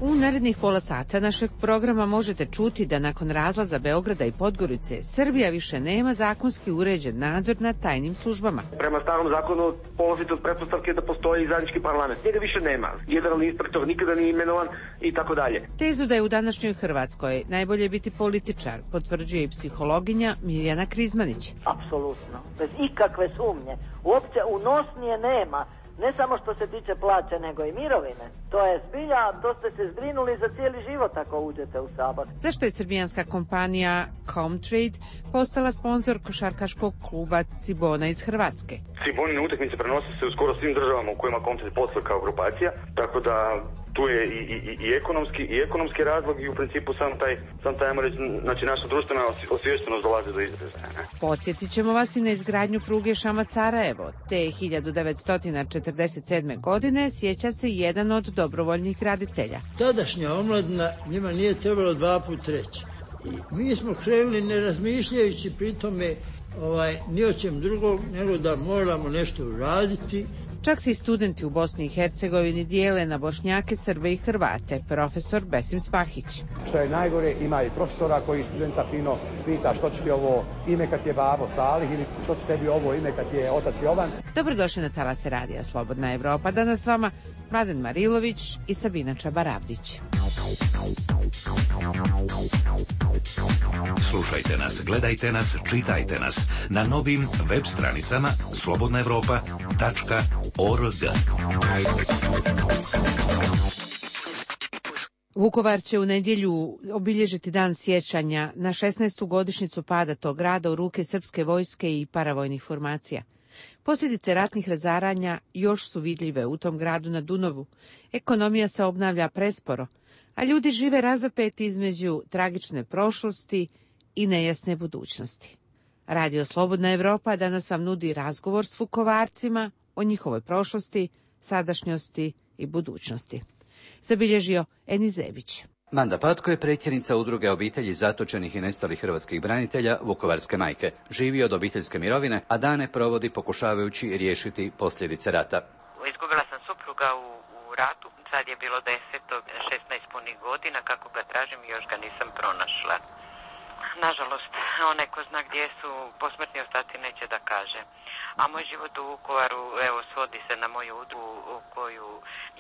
U narednih pola sata našeg programa možete čuti da nakon razlaza Beograda i Podgorice, Srbija više nema zakonski uređen nadzor nad tajnim službama. Prema starom zakonu polazite od pretpostavke da postoji zajednički parlament. Njega više nema. Generalni inspektor nikada nije imenovan i tako dalje. Tezu da je u današnjoj Hrvatskoj najbolje biti političar potvrđuje i psihologinja Mirjana Krizmanić. Apsolutno. Bez ikakve sumnje. Uopće unosnije nema. Ne samo što se tiče plaće, nego i mirovine. To je zbilja, to ste se zbrinuli za cijeli život ako uđete u Sabor. Zašto je srbijanska kompanija Comtrade postala sponzor košarkaškog kluba Cibona iz Hrvatske? Cibonine utakmice prenose se u skoro svim državama u kojima Comtrade posluje kao grupacija, tako da tu je i ekonomski razlog i u principu sam taj ajmo reći, znači naša društvena osviještenost dolazi do izražaja. Podsjetit ćemo vas i na izgradnju pruge Šamac-Sarajevo. Te 1947. godine sjeća se jedan od dobrovoljnih graditelja. Tadašnja omladina njima nije trebalo 2 puta reći. I mi smo krenuli ne razmišljajući pri tome ni o čem drugog, nego da moramo nešto uraditi. Čak se i studenti u Bosni i Hercegovini dijele na Bošnjake, Srbe i Hrvate, profesor Besim Spahić. Što je najgore, ima i profesora koji studenta fino pita što će ti ovo ime kad je babo Salih ili što će tebi ovo ime kad je otac Jovan. Dobrodošli na talase Radija Slobodna Evropa. Danas s vama Mladen Marilović i Sabina Čabaravdić. Slušajte nas, gledajte nas, čitajte nas na novim web stranicama slobodnaevropa.org. Vukovar će u nedjelju obilježiti dan sjećanja na 16. godišnjicu pada tog grada u ruke srpske vojske i paravojnih formacija. Posljedice ratnih razaranja još su vidljive u tom gradu na Dunavu. Ekonomija se obnavlja presporo, a ljudi žive razapeti između tragične prošlosti i nejasne budućnosti. Radio Slobodna Evropa danas vam nudi razgovor s Vukovarcima o njihovoj prošlosti, sadašnjosti i budućnosti. Zabilježio Eni Zebić. Manda Patko je predsjednica udruge obitelji zatočenih i nestalih hrvatskih branitelja Vukovarske majke. Živi od obiteljske mirovine, a dane provodi pokušavajući riješiti posljedice rata. Izgubila sam supruga u ratu, sad je bilo 16 punih godina, kako ga tražim i još ga nisam pronašla. Nažalost, onaj ko zna gdje su posmrtni ostaci neće da kaže. A moj život u Vukovaru, evo, svodi se na moju udrugu u koju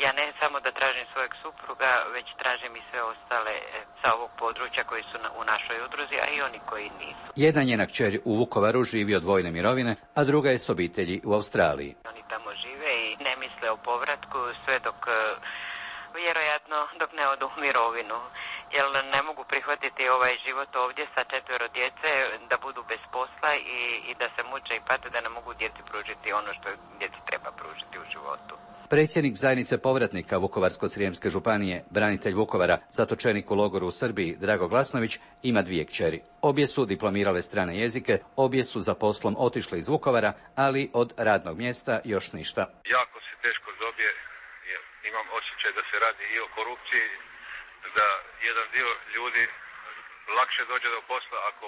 ja ne samo da tražim svojeg supruga, već tražim i sve ostale sa ovog područja koji su u našoj udruzi, a i oni koji nisu. Jedna njena kćer u Vukovaru živi od vojne mirovine, a druga je s obitelji u Australiji. Oni tamo žive i ne misle o povratku sve dok, vjerojatno, dok ne odu u mirovinu. Jer ne mogu prihvatiti ovaj život ovdje sa 4 djece, da budu bez posla i da se muče i pate, da ne mogu djeci pružiti ono što djeci treba pružiti u životu. Predsjednik zajednice povratnika Vukovarsko-srijemske županije, branitelj Vukovara, zatočenik u logoru u Srbiji, Drago Glasnović, ima 2 kćeri. Obje su diplomirale strane jezike, obje su za poslom otišle iz Vukovara, ali od radnog mjesta još ništa. Jako se teško dobije, jer imam osjećaj da se radi i o korupciji, da jedan dio ljudi lakše dođe do posla ako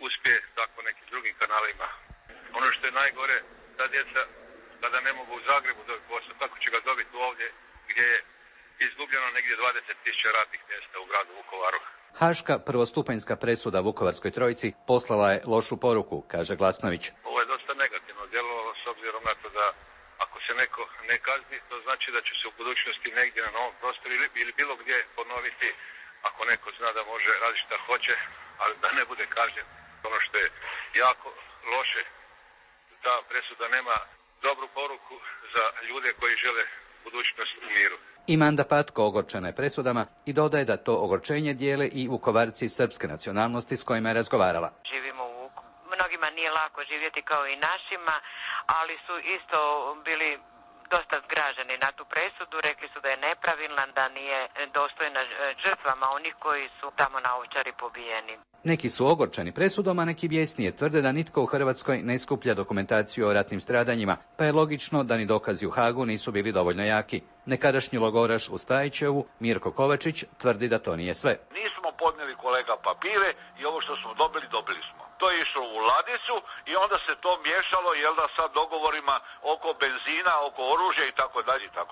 uspije tako nekim drugim kanalima. Ono što je najgore, ta djeca kada ne mogu u Zagrebu dobiti posao, kako će ga dobiti ovdje gdje je izgubljeno negdje 20.000 radnih mjesta u gradu Vukovaru. Haška prvostupanjska presuda Vukovarskoj trojici poslala je lošu poruku, kaže Glasnović. Ovo je dosta negativno djelovalo s obzirom na to da ako se neko ne kazni, to znači da će se u budućnosti negdje na novom prostoru ili bilo gdje ponoviti, ako neko zna da može raditi šta hoće, ali da ne bude kažnjen. Ono što je jako loše, ta presuda nema dobru poruku za ljude koji žele budućnost u miru. I Manda Patko ogorčena je presudama i dodaje da to ogorčenje dijele i Vukovarci srpske nacionalnosti s kojima je razgovarala. Živimo u mnogima nije lako živjeti kao i našima, ali su isto bili dosta zgraženi na tu presudu, rekli su da je nepravilna, da nije dostojna žrtvama onih koji su tamo na Ovčari pobijeni. Neki su ogorčeni presudom, a neki bijesnije tvrde da nitko u Hrvatskoj ne skuplja dokumentaciju o ratnim stradanjima, pa je logično da ni dokazi u Hagu nisu bili dovoljno jaki. Nekadašnji logoraš u Stajićevu, Mirko Kovačić, tvrdi da to nije sve. Nismo podnijeli, kolega, papire i ovo što smo dobili, dobili smo. to je išlo u ladicu i onda se to miješalo, jel da, sa dogovorima oko benzina, oko oružja i tako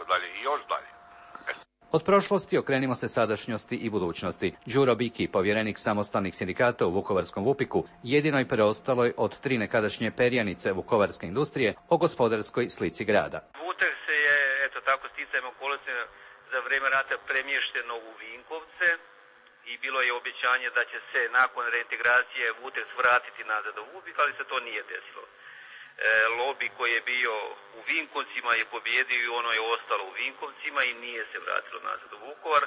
dalje i još dalje. Od prošlosti okrenimo se sadašnjosti i budućnosti. Đuro Biki, povjerenik samostalnih sindikata u Vukovarskom Vupiku, jedinoj preostaloj od 3 nekadašnje perjanice vukovarske industrije o gospodarskoj slici grada. Vutek se je, eto tako, sticajem okolnosti za vrijeme rata premješteno u Vinkovce i bilo je obećanje da će se nakon reintegracije Vuteks vratiti nazad u Vupik, ali se to nije desilo. Lobby koji je bio u Vinkovcima je pobjedio i ono je ostalo u Vinkovcima i nije se vratilo nazad u Vukovar.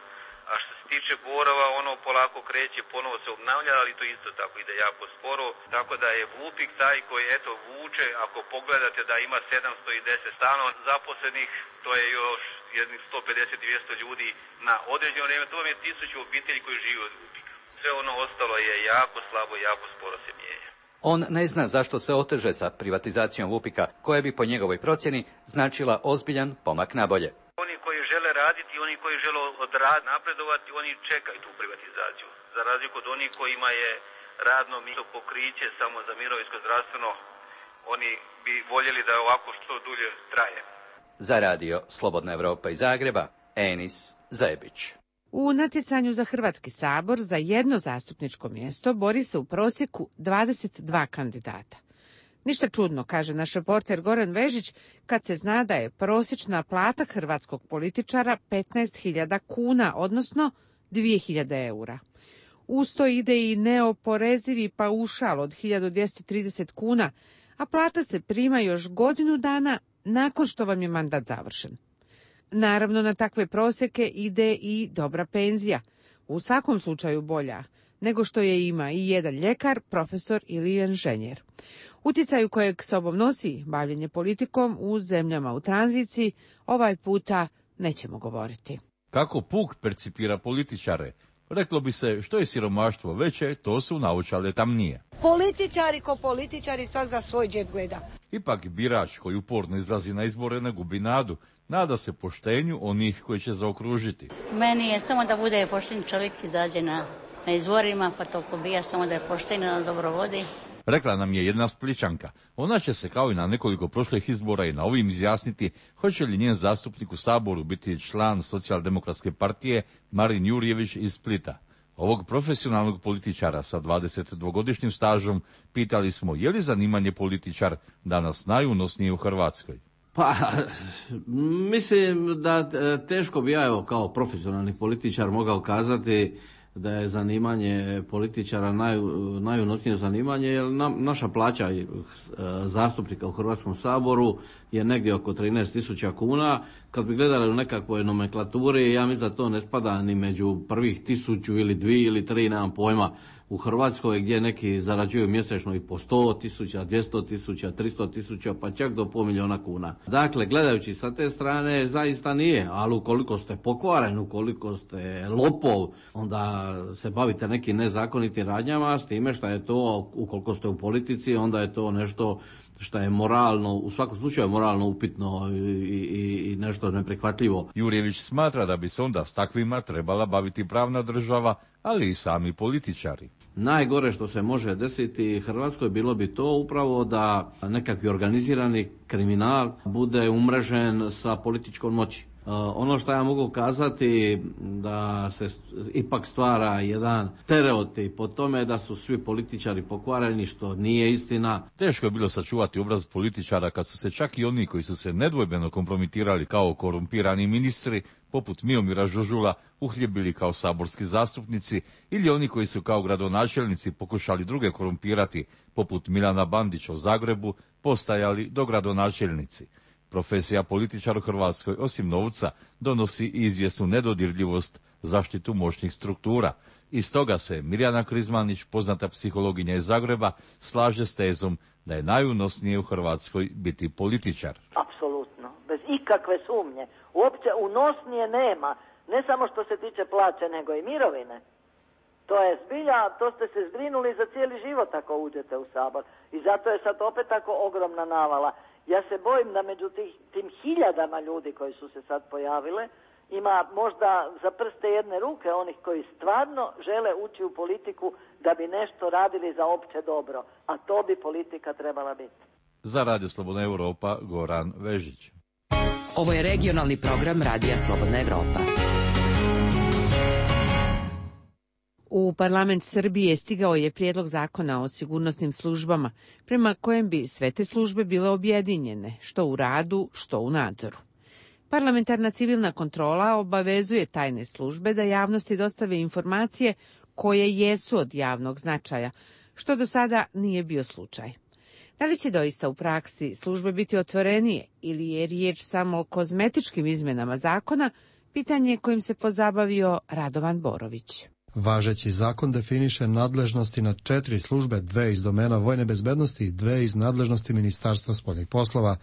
A što se tiče Borova, ono polako kreće, ponovo se obnavlja, ali to isto tako ide jako sporo. Tako da je Vupik taj koji eto vuče, ako pogledate da ima 710 stanova zaposlenih, to je još jednih 150-200 ljudi na određeno vrijeme, to vam je 1000 obitelji koji žive od Vupika. Sve ono ostalo je jako slabo, jako sporo se mijenja. On ne zna zašto se oteže sa privatizacijom Vupika, koja bi po njegovoj procjeni značila ozbiljan pomak nabolje. Oni koji žele raditi, oni koji žele napredovati, oni čekaju tu privatizaciju. Za razliku od onih kojima je radno mjesto pokriće samo za mirovinsko zdravstveno, oni bi voljeli da ovako što dulje traje. Za radio Slobodna Evropa iz Zagreba, Enis Zebić. U natjecanju za Hrvatski sabor za jedno zastupničko mjesto bori se u prosjeku 22 kandidata. Ništa čudno, kaže naš reporter Goran Vežić, kad se zna da je prosječna plata hrvatskog političara 15.000 kuna, odnosno 2.000 eura. Uz to ide i neoporezivi paušal od 1.230 kuna, a plata se prima još godinu dana nakon što vam je mandat završen. Naravno, na takve prosjeke ide i dobra penzija, u svakom slučaju bolja nego što je ima i jedan ljekar, profesor ili inženjer. Utjecaju kojeg sobom nosi bavljenje politikom u zemljama u tranziciji ovaj puta nećemo govoriti. Kako puk percipira političare? Reklo bi se, što je siromaštvo veće, to su naočale tamnije. Političari ko političari, svak za svoj džep gleda. Ipak birač koji uporno izlazi na izbore ne gubi nadu. Nada se poštenju onih koji će zaokružiti. Meni je samo da bude pošten čovjek, izađe na izborima, pa to pobija, samo da je pošten, da dobro vodi. Rekla nam je jedna Splićanka. Ona će se kao i na nekoliko prošlih izbora i na ovim izjasniti hoće li njen zastupnik u Saboru biti član Socijaldemokratske partije Marin Jurjević iz Splita. Ovog profesionalnog političara sa 22-godišnjim stažom pitali smo je li zanimanje političar danas najunosnije u Hrvatskoj. Pa, mislim da teško bi ja evo kao profesionalni političar mogao kazati da je zanimanje političara najunosnije zanimanje, jer naša plaća zastupnika u Hrvatskom saboru je negdje oko 13.000 kuna. Kad bi gledali u nekakvoj nomenklaturi, ja mislim da to ne spada ni među prvih 1000 ili 2 ili 3, nemam pojma, u Hrvatskoj gdje neki zarađuju mjesečno i po 100.000, 200.000, 300.000, pa čak do $500.000 kuna. Dakle, gledajući sa te strane, zaista nije, ali ukoliko ste pokvaren, ukoliko ste lopov, onda se bavite nekim nezakonitim radnjama, s time što je to, ukoliko ste u politici, onda je to nešto što je moralno, u svakom slučaju moralno upitno i nešto neprihvatljivo. Jurjević smatra da bi se onda s takvima trebala baviti pravna država, ali i sami političari. Najgore što se može desiti Hrvatskoj bilo bi to upravo da nekakvi organizirani kriminal bude umrežen sa političkom moći. Ono što ja mogu kazati da se ipak stvara jedan stereotip o tome da su svi političari pokvareni, što nije istina. Teško je bilo sačuvati obraz političara kad su se čak i oni koji su se nedvojbeno kompromitirali kao korumpirani ministri, poput Miomira Žužula, uhljebili kao saborski zastupnici, ili oni koji su kao gradonačelnici pokušali druge korumpirati, poput Milana Bandića u Zagrebu, postajali dogradonačelnici. Profesija političar u Hrvatskoj, osim novca, donosi i izvjesnu nedodirljivost, zaštitu moćnih struktura. I stoga se Mirjana Krizmanić, poznata psihologinja iz Zagreba, slaže s tezom da je najunosnije u Hrvatskoj biti političar. Apsolutno, bez ikakve sumnje. Uopće unosnije nema, ne samo što se tiče plaće, nego i mirovine. To je zbilja, to ste se zbrinuli za cijeli život ako uđete u Sabor. I zato je sad opet tako ogromna navala. Ja se bojim da među tim hiljadama ljudi koji su se sad pojavile, ima možda za prste jedne ruke onih koji stvarno žele ući u politiku da bi nešto radili za opće dobro, a to bi politika trebala biti. Za Radio Slobodna Evropa, Goran Vežić. Ovo je regionalni program Radija Slobodna Evropa. U parlament Srbije stigao je prijedlog zakona o sigurnosnim službama, prema kojem bi sve te službe bile objedinjene, što u radu, što u nadzoru. Parlamentarna civilna kontrola obavezuje tajne službe da javnosti dostave informacije koje jesu od javnog značaja, što do sada nije bio slučaj. Da li će doista u praksi službe biti otvorenije ili je riječ samo o kozmetičkim izmjenama zakona, pitanje kojim se pozabavio Radovan Borović. Važeći zakon definiše nadležnosti na 4 službe, 2 iz domena vojne bezbednosti i 2 iz nadležnosti Ministarstva spoljnih poslova.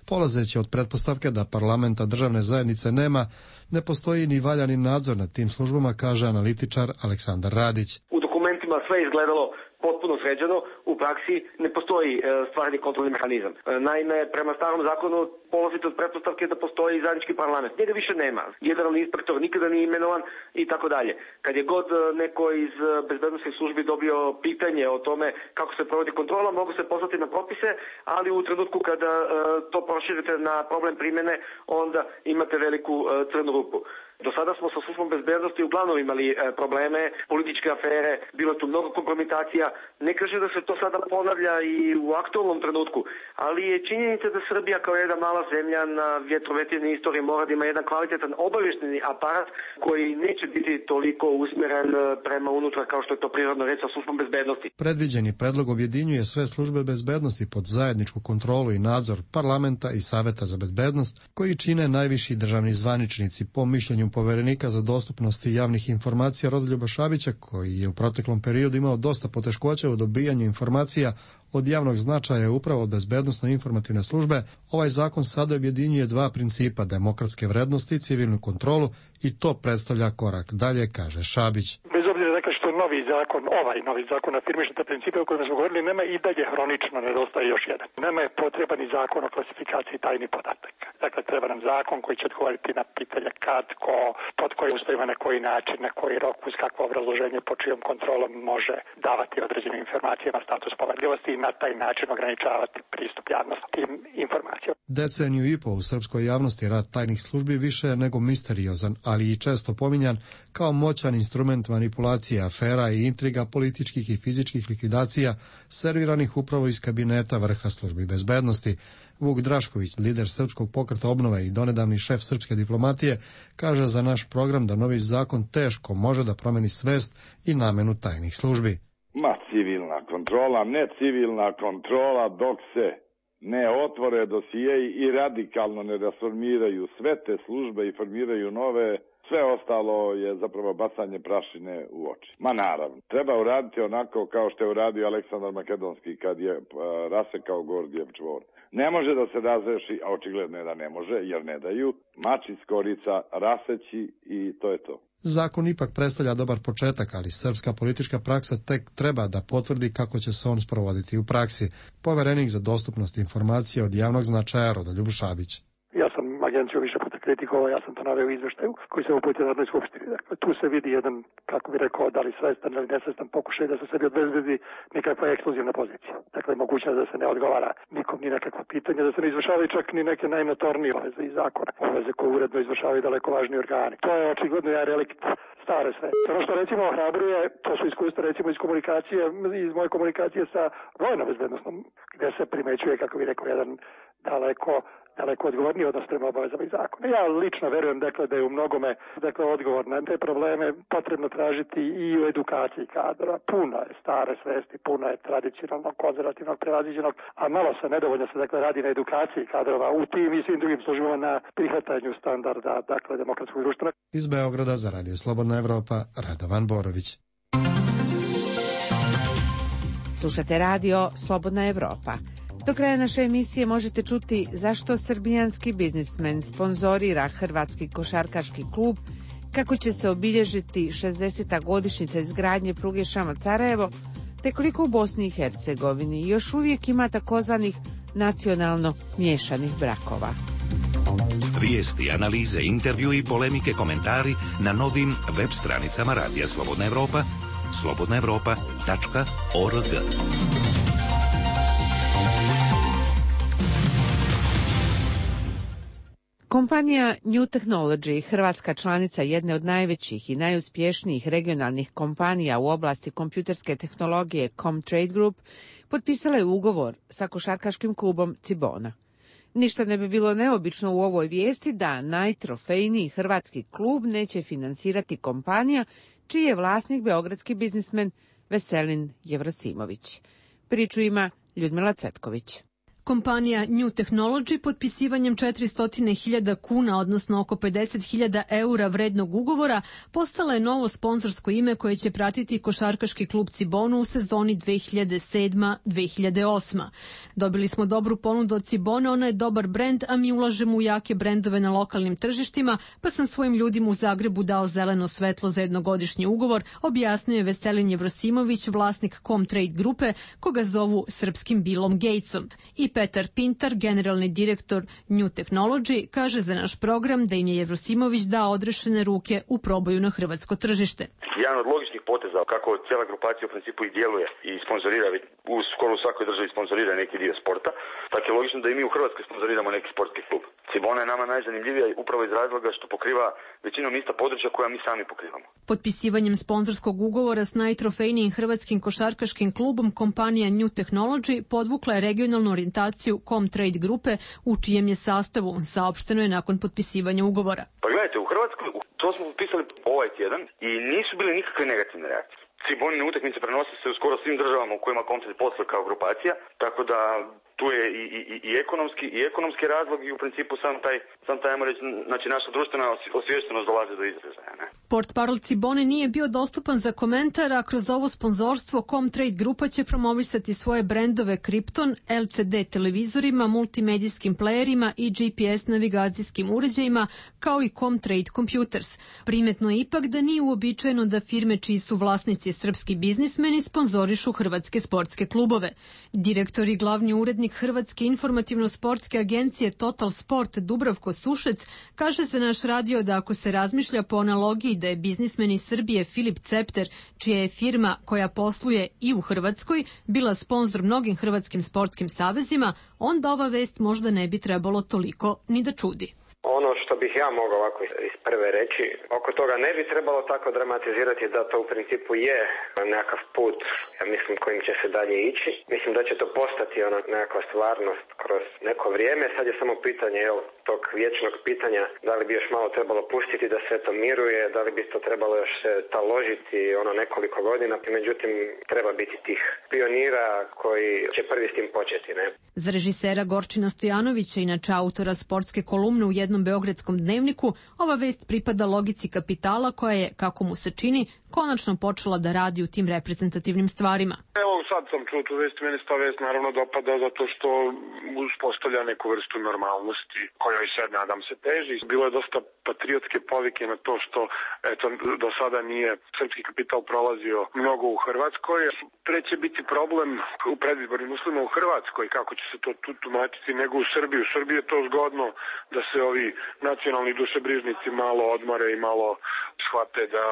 Polazeći od pretpostavke da parlamenta državne zajednice nema, ne postoji ni valjani nadzor nad tim službama, kaže analitičar Aleksandar Radić. U dokumentima sve izgledalo potpuno sređeno, u praksi ne postoji stvarni kontrolni mehanizam. Naime, prema starom zakonu polazite od pretpostavke da postoji zajednički parlament. Njega više nema. Generalni inspektor nikada nije imenovan i tako dalje. Kad je god neko iz bezbednosnih službi dobio pitanje o tome kako se provodi kontrola, mogu se poslati na propise, ali u trenutku kada to proširite na problem primjene, onda imate veliku crnu rupu. Do sada smo sa službom bezbednosti uglavnom imali probleme, političke afere, bilo je tu mnogo kompromitacija. Ne kaže da se to sada ponavlja i u aktualnom trenutku, ali je činjenica da Srbija kao jedna mala zemlja na vjetrovetini istoriji mora da ima jedan kvalitetan obavještajni aparat koji neće biti toliko usmjeren prema unutra kao što je to prirodno reći sa službom bezbednosti. Predviđeni predlog objedinjuje sve službe bezbednosti pod zajedničku kontrolu i nadzor parlamenta i Saveta za bezbednost, koji čine najviši državni zvaničnici, po mišljenju poverenika za dostupnost javnih informacija Rodoljuba Šabića, koji je u proteklom periodu imao dosta poteškoća u dobijanju informacija od javnog značaja upravo od bezbednosno-informativne službe. Ovaj zakon sada objedinjuje 2 principa, demokratske vrednosti i civilnu kontrolu, i to predstavlja korak dalje, kaže Šabić. Bez obzira dakle što novi zakon afirmiše te principe o kojima smo govorili, nema i dalje hronično nedostaje još jedan. Nama je potreban i zakon o klasifikaciji tajnih podataka. Dakle, treba nam zakon koji će odgovoriti na pitanje kad, ko, pod kojim uslovima, na koji način, na koji rok, uz kakvo obrazloženje, po čijom kontrolom može davati određenim informacijama status poverljivosti i na taj način ograničavati pristup javnosti tim informacijama. Deceniju i po u srpskoj javnosti rad tajnih službi više je nego misteriozan, ali i često pominjan kao moćan instrument manipulacije, afera i intriga, političkih i fizičkih likvidacija serviranih upravo iz kabineta vrha službi bezbednosti. Vuk Drašković, lider Srpskog pokreta obnove i donedavni šef srpske diplomatije, kaže za naš program da novi zakon teško može da promeni svest i namenu tajnih službi. Civilna kontrola, ne civilna kontrola dok se ne otvore dosijeji i radikalno ne rasformiraju sve te službe i formiraju nove, sve ostalo je zapravo bacanje prašine u oči. Ma naravno, treba uraditi onako kao što je uradio Aleksandar Makedonski kad je rasekao Gordijev čvor. Ne može da se razreši, a očigledno je da ne može, jer ne daju, mač iz korica, raseći i to je to. Zakon ipak predstavlja dobar početak, ali srpska politička praksa tek treba da potvrdi kako će se on sprovoditi u praksi. Poverenik za dostupnost informacija od javnog značaja Rodoljub Šabić. Ja sam agenciju više puta kritikovao, ja sam to naveo u izveštaju koji se uputio na Narodnoj skupštini. Dakle, tu se vidi jedan, kako bi rekao, da li svestan ili nesvestan pokušaj da se sebi obezbedi nekakva ekskluzivna pozicija. Dakle, mogućnost da se ne odgovara nikom ni nekakva pitanja, da se ne izvršavaju čak ni neke najnotornije obaveze iz zakona, obaveze koje uredno izvršavaju daleko važniji organi. To je očigledno jedan relikt stare sve. Ono što recimo ohrabruje, to su iskustva recimo iz komunikacije, iz moje komunikacije sa vojnom bezbednosnom, gdje se primećuje, kako bi rekao, jedan daleko odgovorniji odnos prema obavezama i zakona. Ja lično verujem dakle da je u mnogome odgovor na te probleme potrebno tražiti i u edukaciji kadra. Puno je stare svesti, puno je tradicionalnog, konzervativnog, prevaziđenog, a malo se nedovoljno se radi na edukaciji kadrova u tim i svim drugim službama na prihvatanju standarda demokratskog društva. Iz Beograda za Radio Slobodna Evropa, Radovan Borović. Slušate radio Slobodna Evropa. Do kraja naše emisije možete čuti zašto srbijanski biznismen sponzorira hrvatski košarkaški klub, kako će se obilježiti 60. godišnjica izgradnje pruge Šamac-Sarajevo, te koliko u Bosni i Hercegovini još uvijek ima takozvanih nacionalno miješanih brakova. Vijesti, analize, intervju i polemike, komentari na novim web stranicama Radija Slobodna Evropa, slobodnaevropa.org. Kompanija New Technology, hrvatska članica jedne od najvećih i najuspješnijih regionalnih kompanija u oblasti kompjuterske tehnologije Comtrade Group, potpisala je ugovor sa košarkaškim klubom Cibona. Ništa ne bi bilo neobično u ovoj vijesti da najtrofejniji hrvatski klub neće finansirati kompanija čiji je vlasnik beogradski biznismen Veselin Jevrosimović. Priču ima Ljudmila Cvetković. Kompanija New Technology potpisivanjem 400.000 kuna, odnosno oko 50.000 eura vrednog ugovora, postala je novo sponzorsko ime koje će pratiti košarkaški klub Cibonu u sezoni 2007-2008. Dobili smo dobru ponudu od Cibone, ona je dobar brend, a mi ulažemo u jake brendove na lokalnim tržištima, pa sam svojim ljudima u Zagrebu dao zeleno svetlo za jednogodišnji ugovor, objasnio je Veselin Jevrosimović, vlasnik Comtrade grupe, koga zovu srpskim Billom Gatesom. I Petar Pintar, generalni direktor New Technology, kaže za naš program da im je Jevrosimović dao odrešene ruke u proboju na hrvatsko tržište. Jedan od logičnih poteza kako cijela grupacija u principu i djeluje i sponzorira, skoro u svakoj državi sponzorira neki dio sporta, tako je logično da i mi u Hrvatskoj sponzoriramo neki sportski klub. Cibona je nama najzanimljivija upravo iz razloga što pokriva većinom ista područja koja mi sami pokrivamo. Potpisivanjem sponzorskog ugovora s najtrofejnijim hrvatskim košarkaškim klubom kompanija New Technology podvukla je regionalnu orijentaciju Comtrade grupe u čijem je sastavu, saopšteno je nakon potpisivanja ugovora. Pa gledajte, u Hrvatskoj to smo potpisali ovaj tjedan i nisu bile nikakve negativne reakcije. Cibonine utakmice prenose se u skoro svim državama u kojima Comtrade posluje kao grupacija, tako da tu je i ekonomski razlog i u principu sam taj ajmo reći, znači naša društvena osviještenost dolazi do izražaja. Portparol Cibone nije bio dostupan za komentar, a kroz ovo sponzorstvo Comtrade grupa će promovisati svoje brendove Krypton, LCD televizorima, multimedijskim playerima i GPS navigacijskim uređajima, kao i Comtrade Computers. Primetno je ipak da nije uobičajeno da firme čiji su vlasnici srpski biznismeni sponzorišu hrvatske sportske klubove. Direktor i glavni urednik Hrvatske informativno-sportske agencije Total Sport Dubravko Sušec kaže za naš radio da ako se razmišlja po analogiji da je biznismen iz Srbije Filip Cepter, čija je firma koja posluje i u Hrvatskoj bila sponzor mnogim hrvatskim sportskim savezima, onda ova vest možda ne bi trebalo toliko ni da čudi. Ono što bih ja mogao ovako iz prve reći, oko toga ne bi trebalo tako dramatizirati da to u principu je nekakav put, ja mislim, kojim će se dalje ići. Mislim da će to postati ona nekakva stvarnost kroz neko vrijeme. Sad je samo pitanje tog vječnog pitanja da li bi još malo trebalo pustiti da sve to miruje, da li bi to trebalo još se taložiti nekoliko godina. Međutim, treba biti tih pionira koji će prvi s tim početi. Ne? Za režisera Gorčina Stojanovića, inače autora sportske kolumne u jednom beogradskom dnevniku, ova vest pripada logici kapitala koja je, kako mu se čini, konačno počela da radi u tim reprezentativnim stvarima. Evo sad sam čuo tu vest, meni se ta vest naravno dopada zato što uspostavlja neku vrstu normalnosti kojoj se, nadam se, teži. Bilo je dosta patriotske povike na to što do sada nije srpski kapital prolazio mnogo u Hrvatskoj. Treće biti problem u predizbornim uslovima u Hrvatskoj, kako će se to tu tumačiti, nego u Srbiji. U Srbiji je to zgodno da se ovi nacionalni dušebrižnici malo odmore i malo shvate da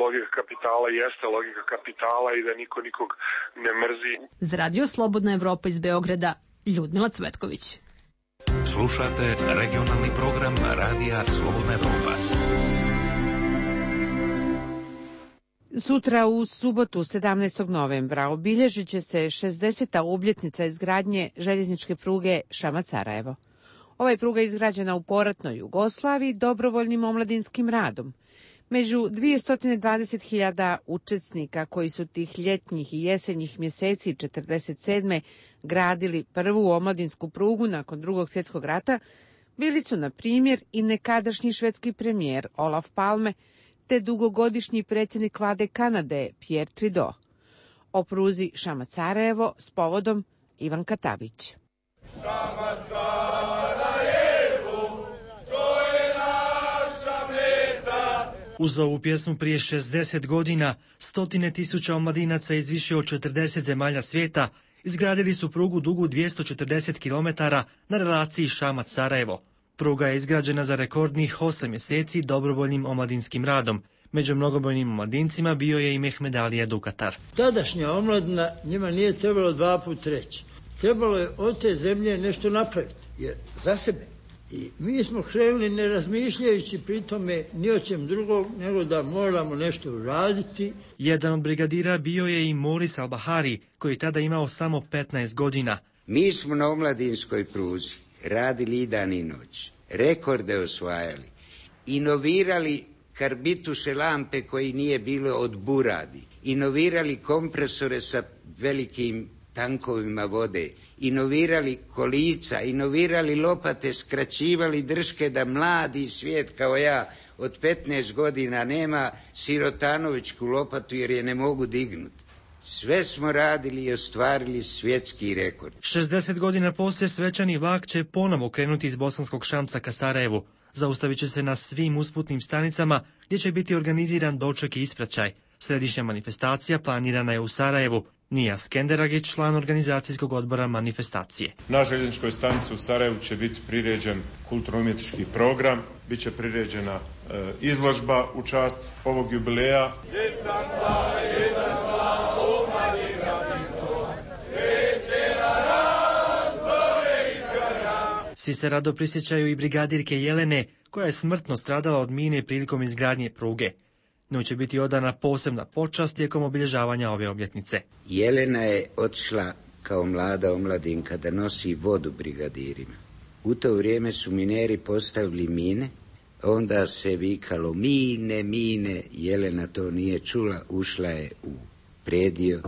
logika kapitala jeste logika kapitala i da niko nikog ne mrzi. Za Radio Slobodna Evropa iz Beograda, Ljudmila Cvetković. Slušate regionalni program Radija Slobodna Evropa. Sutra u subotu 17. novembra obilježit će se 60. obljetnica izgradnje željezničke pruge Šamac-Sarajevo. Ova je pruga izgrađena u poratnoj Jugoslaviji dobrovoljnim omladinskim radom. Među 220.000 učesnika koji su tih ljetnjih i jesenjih mjeseci 1947. gradili prvu omladinsku prugu nakon Drugog svjetskog rata, bili su, na primjer, i nekadašnji švedski premijer Olaf Palme, te dugogodišnji predsjednik vlade Kanade Pierre Trudeau. O pruzi Šamac-Sarajevo s povodom Ivan Katavić. Uz ovu pjesmu prije 60 godina, 100.000 omladinaca iz više od 40 zemalja svijeta izgradili su prugu dugu 240 km na relaciji Šamac-Sarajevo. Pruga je izgrađena za rekordnih 8 mjeseci dobrovoljnim omladinskim radom. Među mnogobrojnim omladincima bio je i Mehmed Alija Dukatar. Tadašnja omladina njima nije trebalo 2 puta reći. Trebalo je od te zemlje nešto napraviti, jer za sebe. I mi smo krenuli ne razmišljajući pri tome ni o čem drugog, nego da moramo nešto uraditi. Jedan od brigadira bio je i Moris Al-Bahari, koji je tada imao samo 15 godina. Mi smo na omladinskoj pruzi radili i dan i noć, rekorde osvajali, inovirali karbituše lampe koji nije bilo od buradi, inovirali kompresore sa velikim tankovima vode, inovirali kolica, inovirali lopate, skraćivali drške da mladi svijet kao ja od 15 godina nema sirotanovićku lopatu jer je ne mogu dignuti. Sve smo radili i ostvarili svjetski rekord. 60 godina poslije svečani vlak će ponovo krenuti iz Bosanskog Šamca ka Sarajevu. Zaustavit će se na svim usputnim stanicama gdje će biti organiziran doček i ispraćaj. Središnja manifestacija planirana je u Sarajevu. Nija Skenderagić, član organizacijskog odbora manifestacije. Na željezničkoj stanici u Sarajevu će biti priređen kulturno-umjetnički program, bit će priređena izložba u čast ovog jubileja. Svi se rado prisjećaju i brigadirke Jelene, koja je smrtno stradala od mine prilikom izgradnje pruge. Njoj će biti odana posebna počast tijekom obilježavanja ove obljetnice. Jelena je otišla kao mlada omladinka da nosi vodu brigadirima. U to vrijeme su mineri postavili mine, onda se vikalo mine, mine. Jelena to nije čula, ušla je u predio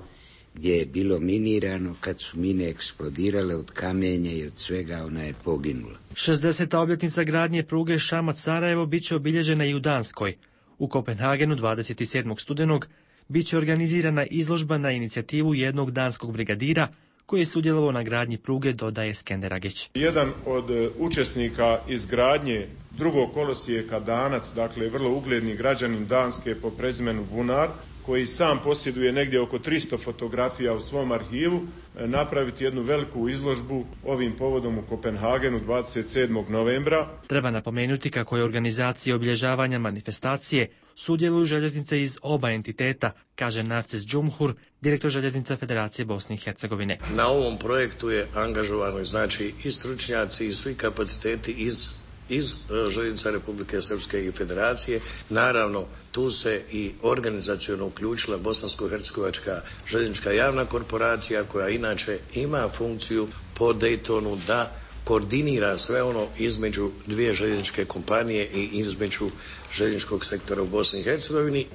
gdje je bilo minirano. Kad su mine eksplodirale od kamenja i od svega, ona je poginula. 60. obljetnica gradnje pruge Šamac-Sarajevo bit će obilježena i u Danskoj. U Kopenhagenu 27. studenog bit će organizirana izložba na inicijativu jednog danskog brigadira koji je sudjelovao na gradnji pruge, dodaje Skenderagić. Jedan od učesnika izgradnje drugog kolosijeka Danac, dakle vrlo ugledni građanin Danske po prezimenu Bunar, koji sam posjeduje negdje oko 300 fotografija u svom arhivu, napraviti jednu veliku izložbu ovim povodom u Kopenhagenu 27. novembra. Treba napomenuti kako je organizacija obilježavanja manifestacije sudjeluju željeznice iz oba entiteta, kaže Narcis Džumhur, direktor Željeznica Federacije Bosne i Hercegovine. Na ovom projektu je angažovano znači i stručnjaci i svi kapaciteti iz Željeznica Republike Srpske i Federacije. Naravno, tu se i organizaciono uključila Bosansko-hercegovačka željeznička javna korporacija, koja inače ima funkciju po Daytonu da koordinira sve ono između dvije željezničke kompanije i između željezničkog sektora u Bosni i Hercegovini.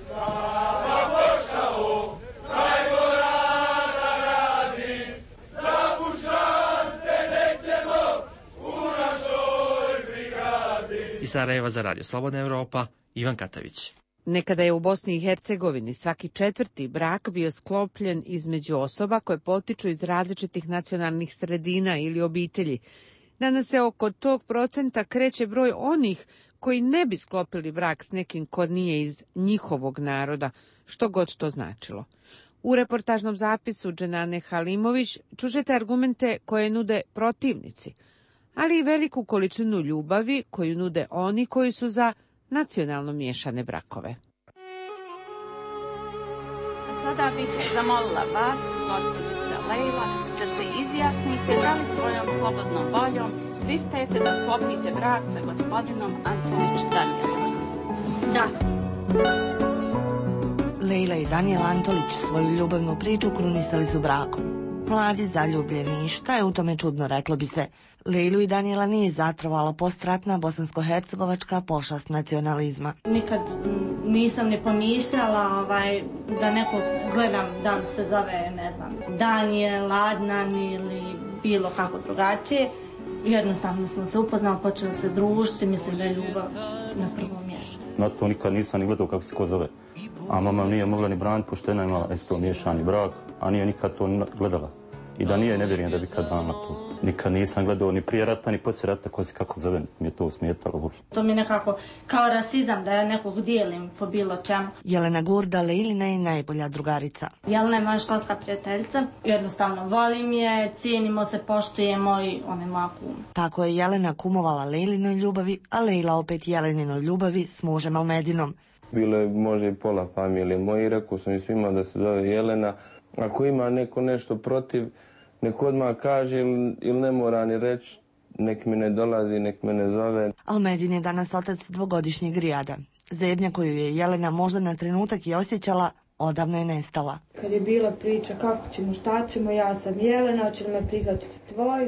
Iz Sarajeva za Radio Slobodna Evropa, Ivan Katavić. Nekada je u Bosni i Hercegovini svaki 4. brak bio sklopljen između osoba koje potiču iz različitih nacionalnih sredina ili obitelji. Danas se oko tog procenta kreće broj onih koji ne bi sklopili brak s nekim ko nije iz njihovog naroda, što god to značilo. U reportažnom zapisu Dženane Halimović čućete argumente koje nude protivnici, ali i veliku količinu ljubavi koju nude oni koji su za nacionalno miješane brakove. Sada bih zamolila vas, gospođica Lejla, da se izjasnite da li svojom slobodnom voljom pristajete da sklopite brak sa gospodinom Antolić Danijelom. Da. Lejla i Danijel Antolić svoju ljubavnu priču krunisali su brakom. Mladi, zaljubljeni, šta je u tome čudno, reklo bi se. Lejlu i Danijela nije zatrovala postratna bosansko-hercegovačka pošast nacionalizma. Nikad nisam ne pomišljala da nekog gledam da li se zove, ne znam, Danijel, Adnan ili bilo kako drugačije. Jednostavno smo se upoznali, počeli se družiti, mislim da je ljubav na prvom mjestu. Na to nikad nisam ni gledao kako se ko zove. A mama nije mogla ni braniti, pošto jedna imala isto miješani brak, a nije nikad to gledala. I da nije, ne vjerujem da bi kad vama tu. Nikad nisam gledao ni prije rata, ni poslije rata, ko se kako zove, mi je to smetalo uopšte. To mi je nekako kao rasizam, da ja nekog dijelim po bilo čemu. Jelena Gurda, Leilina je najbolja drugarica. Jelena je moja školska prijateljica, jednostavno volim je, cijenimo se, poštujemo i ona je moja kuma. Tako je Jelena kumovala Leilinoj ljubavi, a Leila opet Jeleninoj ljubavi s mužem Almedinom. Bilo je možda i pola familije moji, rekao sam i svima da se zove Jelena. Ako ima neko nešto protiv, nek odmah kaže ili ne mora ni reći, nek mi ne dolazi, nek me ne zove. Almedin je danas otac dvogodišnjeg Rijada. Zebnja koju je Jelena možda na trenutak i osjećala, odavno je nestala. Kad je bila priča kako ćemo, šta ćemo, ja sam Jelena, će li me prihvatiti tvoj.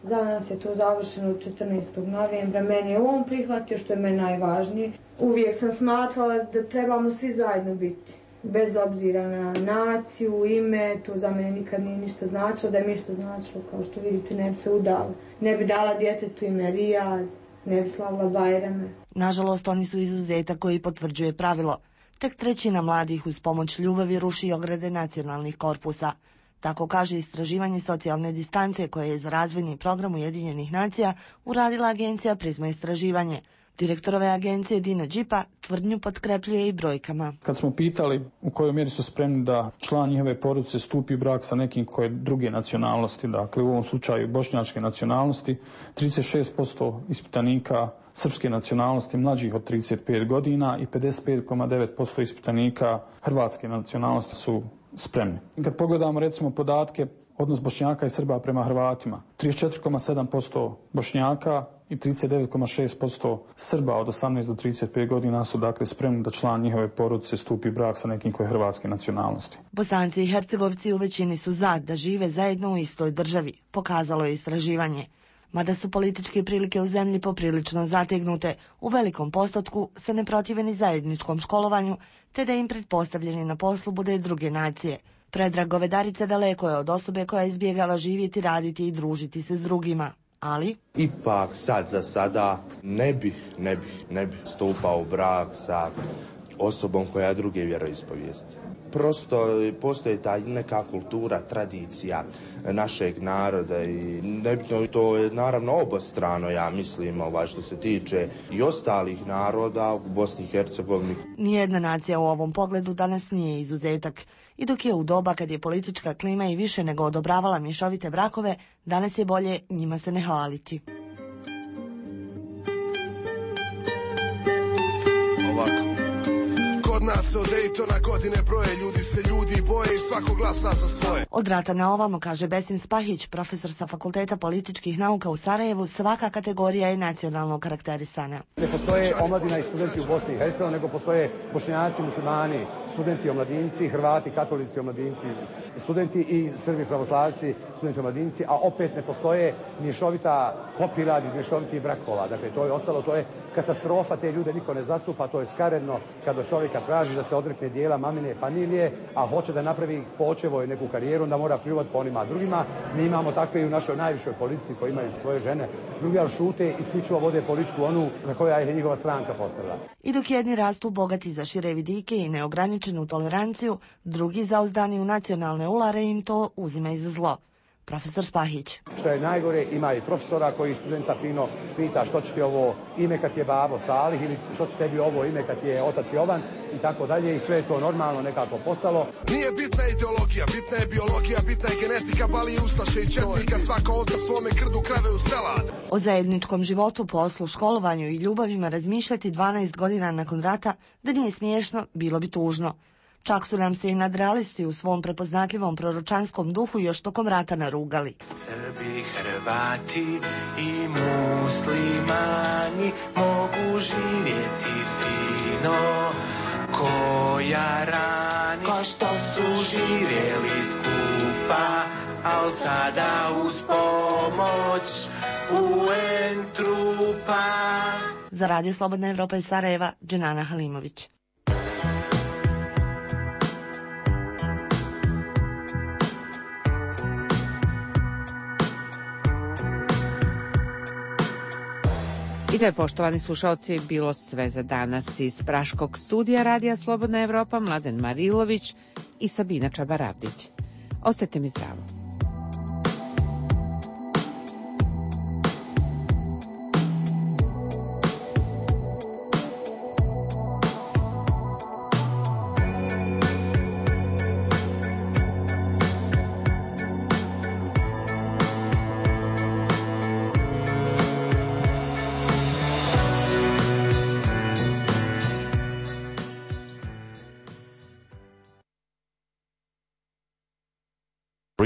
Za nas je to završeno 14. novembra. Meni je on prihvatio, što je meni najvažnije. Uvijek sam smatrala da trebamo svi zajedno biti. Bez obzira na naciju, ime, to za mene nikad nije ništa značilo. Da je mi što značilo, kao što vidite, ne bi se udala. Ne bi dala djetetu ime Rijad, ne bi slavila Bajrame. Nažalost, oni su izuzetak koji potvrđuje pravilo. Tek trećina mladih uz pomoć ljubavi ruši ograde nacionalnih korpusa. Tako kaže istraživanje socijalne distance koje je za razvojni program Ujedinjenih nacija uradila agencija Prizma istraživanje. Direktorove agencije Dino Đipa tvrdnju potkrepljuje i brojkama. Kad smo pitali u kojoj mjeri su spremni da član njihove porodice stupi u brak sa nekim koje druge nacionalnosti, dakle u ovom slučaju bošnjačke nacionalnosti, 36% ispitanika srpske nacionalnosti mlađih od 35 godina i 55,9% ispitanika hrvatske nacionalnosti su spremni. Kad pogledamo recimo podatke odnos Bošnjaka i Srba prema Hrvatima, 34,7% Bošnjaka i 39,6% Srba od 18 do 35 godina su dakle spremni da član njihove porodice stupi brak sa nekim koje je hrvatske nacionalnosti. Bosanci i Hercegovci u većini su za da žive zajedno u istoj državi, pokazalo je istraživanje. Mada su političke prilike u zemlji poprilično zategnute, u velikom postotku se ne protive ni zajedničkom školovanju, te da im pretpostavljeni na poslu bude druge nacije. Predrag Govedarica daleko je od osobe koja izbjegava živjeti, raditi i družiti se s drugima. Ali ipak sad za sada ne bih stupao u brak sa osobom koja je druge vjeroispovijesti. Prosto postoji ta neka kultura, tradicija našeg naroda i nebitno, to je naravno obostrano, ja mislim, što se tiče i ostalih naroda u Bosni i Hercegovini. Nijedna nacija u ovom pogledu danas nije izuzetak. I dok je u doba kad je politička klima i više nego odobravala mješovite brakove, danas je bolje njima se ne hvaliti. Ovako. Kod nas se od Daytona godine broje, ljudi se boje i svako glasa za svoje. Od rata na ovamo, kaže Besim Spahić, profesor sa Fakulteta političkih nauka u Sarajevu, svaka kategorija je nacionalno karakterisana. Ne postoje omladina i studenti u Bosni i Hercegovini, nego postoje Bošnjaci, muslimani, studenti omladinci, Hrvati, katolici omladinci, studenti i Srbi pravoslavci, studenti omladinci, a opet ne postoje mješovita kopirad iz mješovitih brakova. Dakle, to je ostalo, to je katastrofa, te ljude niko ne zastupa, to je skaredno kada čovjeka traži da se odrekne dijela mamine familije, a hoće da napravi počevo neku karijeru, da mora pljuvati po onima drugima. Mi imamo takve i u našoj najvišoj politici koji imaju svoje žene. Drugi šute, isključivo vode politiku onu za koju je njegova stranka postavila. I dok jedni rastu bogati za šire vidike i neograničenu toleranciju, drugi zauzdani u nacionalne ulare im to uzimaju za zlo. Profesor Spahić. Što je najgore, ima i profesora koji studenta fino pita što će ti ovo ime kad je babo Salih ili što će tebi ovo ime kad je otac Jovan i tako dalje, i sve je to normalno nekako postalo. Nije bitna ideologija, bitna je biologija, bitna je genetika, bali ustaše i četnika, svaka ovca svome krdu krave u stelad. O zajedničkom životu, poslu, školovanju i ljubavima razmišljati 12 godina nakon rata, da nije smiješno, bilo bi tužno. Čak su nam se i nadrealisti u svom prepoznatljivom proročanskom duhu još tokom rata narugali. Srbi, Hrvati i muslimani mogu živjeti fino ko jarani, ko što su živjeli skupa, al sada uz pomoć UN trupa. Za Radio Slobodna Evropa iz Sarajeva, Dženana Halimović. I to je, poštovani slušalci, bilo sve za danas iz Praškog studija Radija Slobodna Evropa, Mladen Marilović i Sabina Čabaravdić. Ostajte mi zdravo.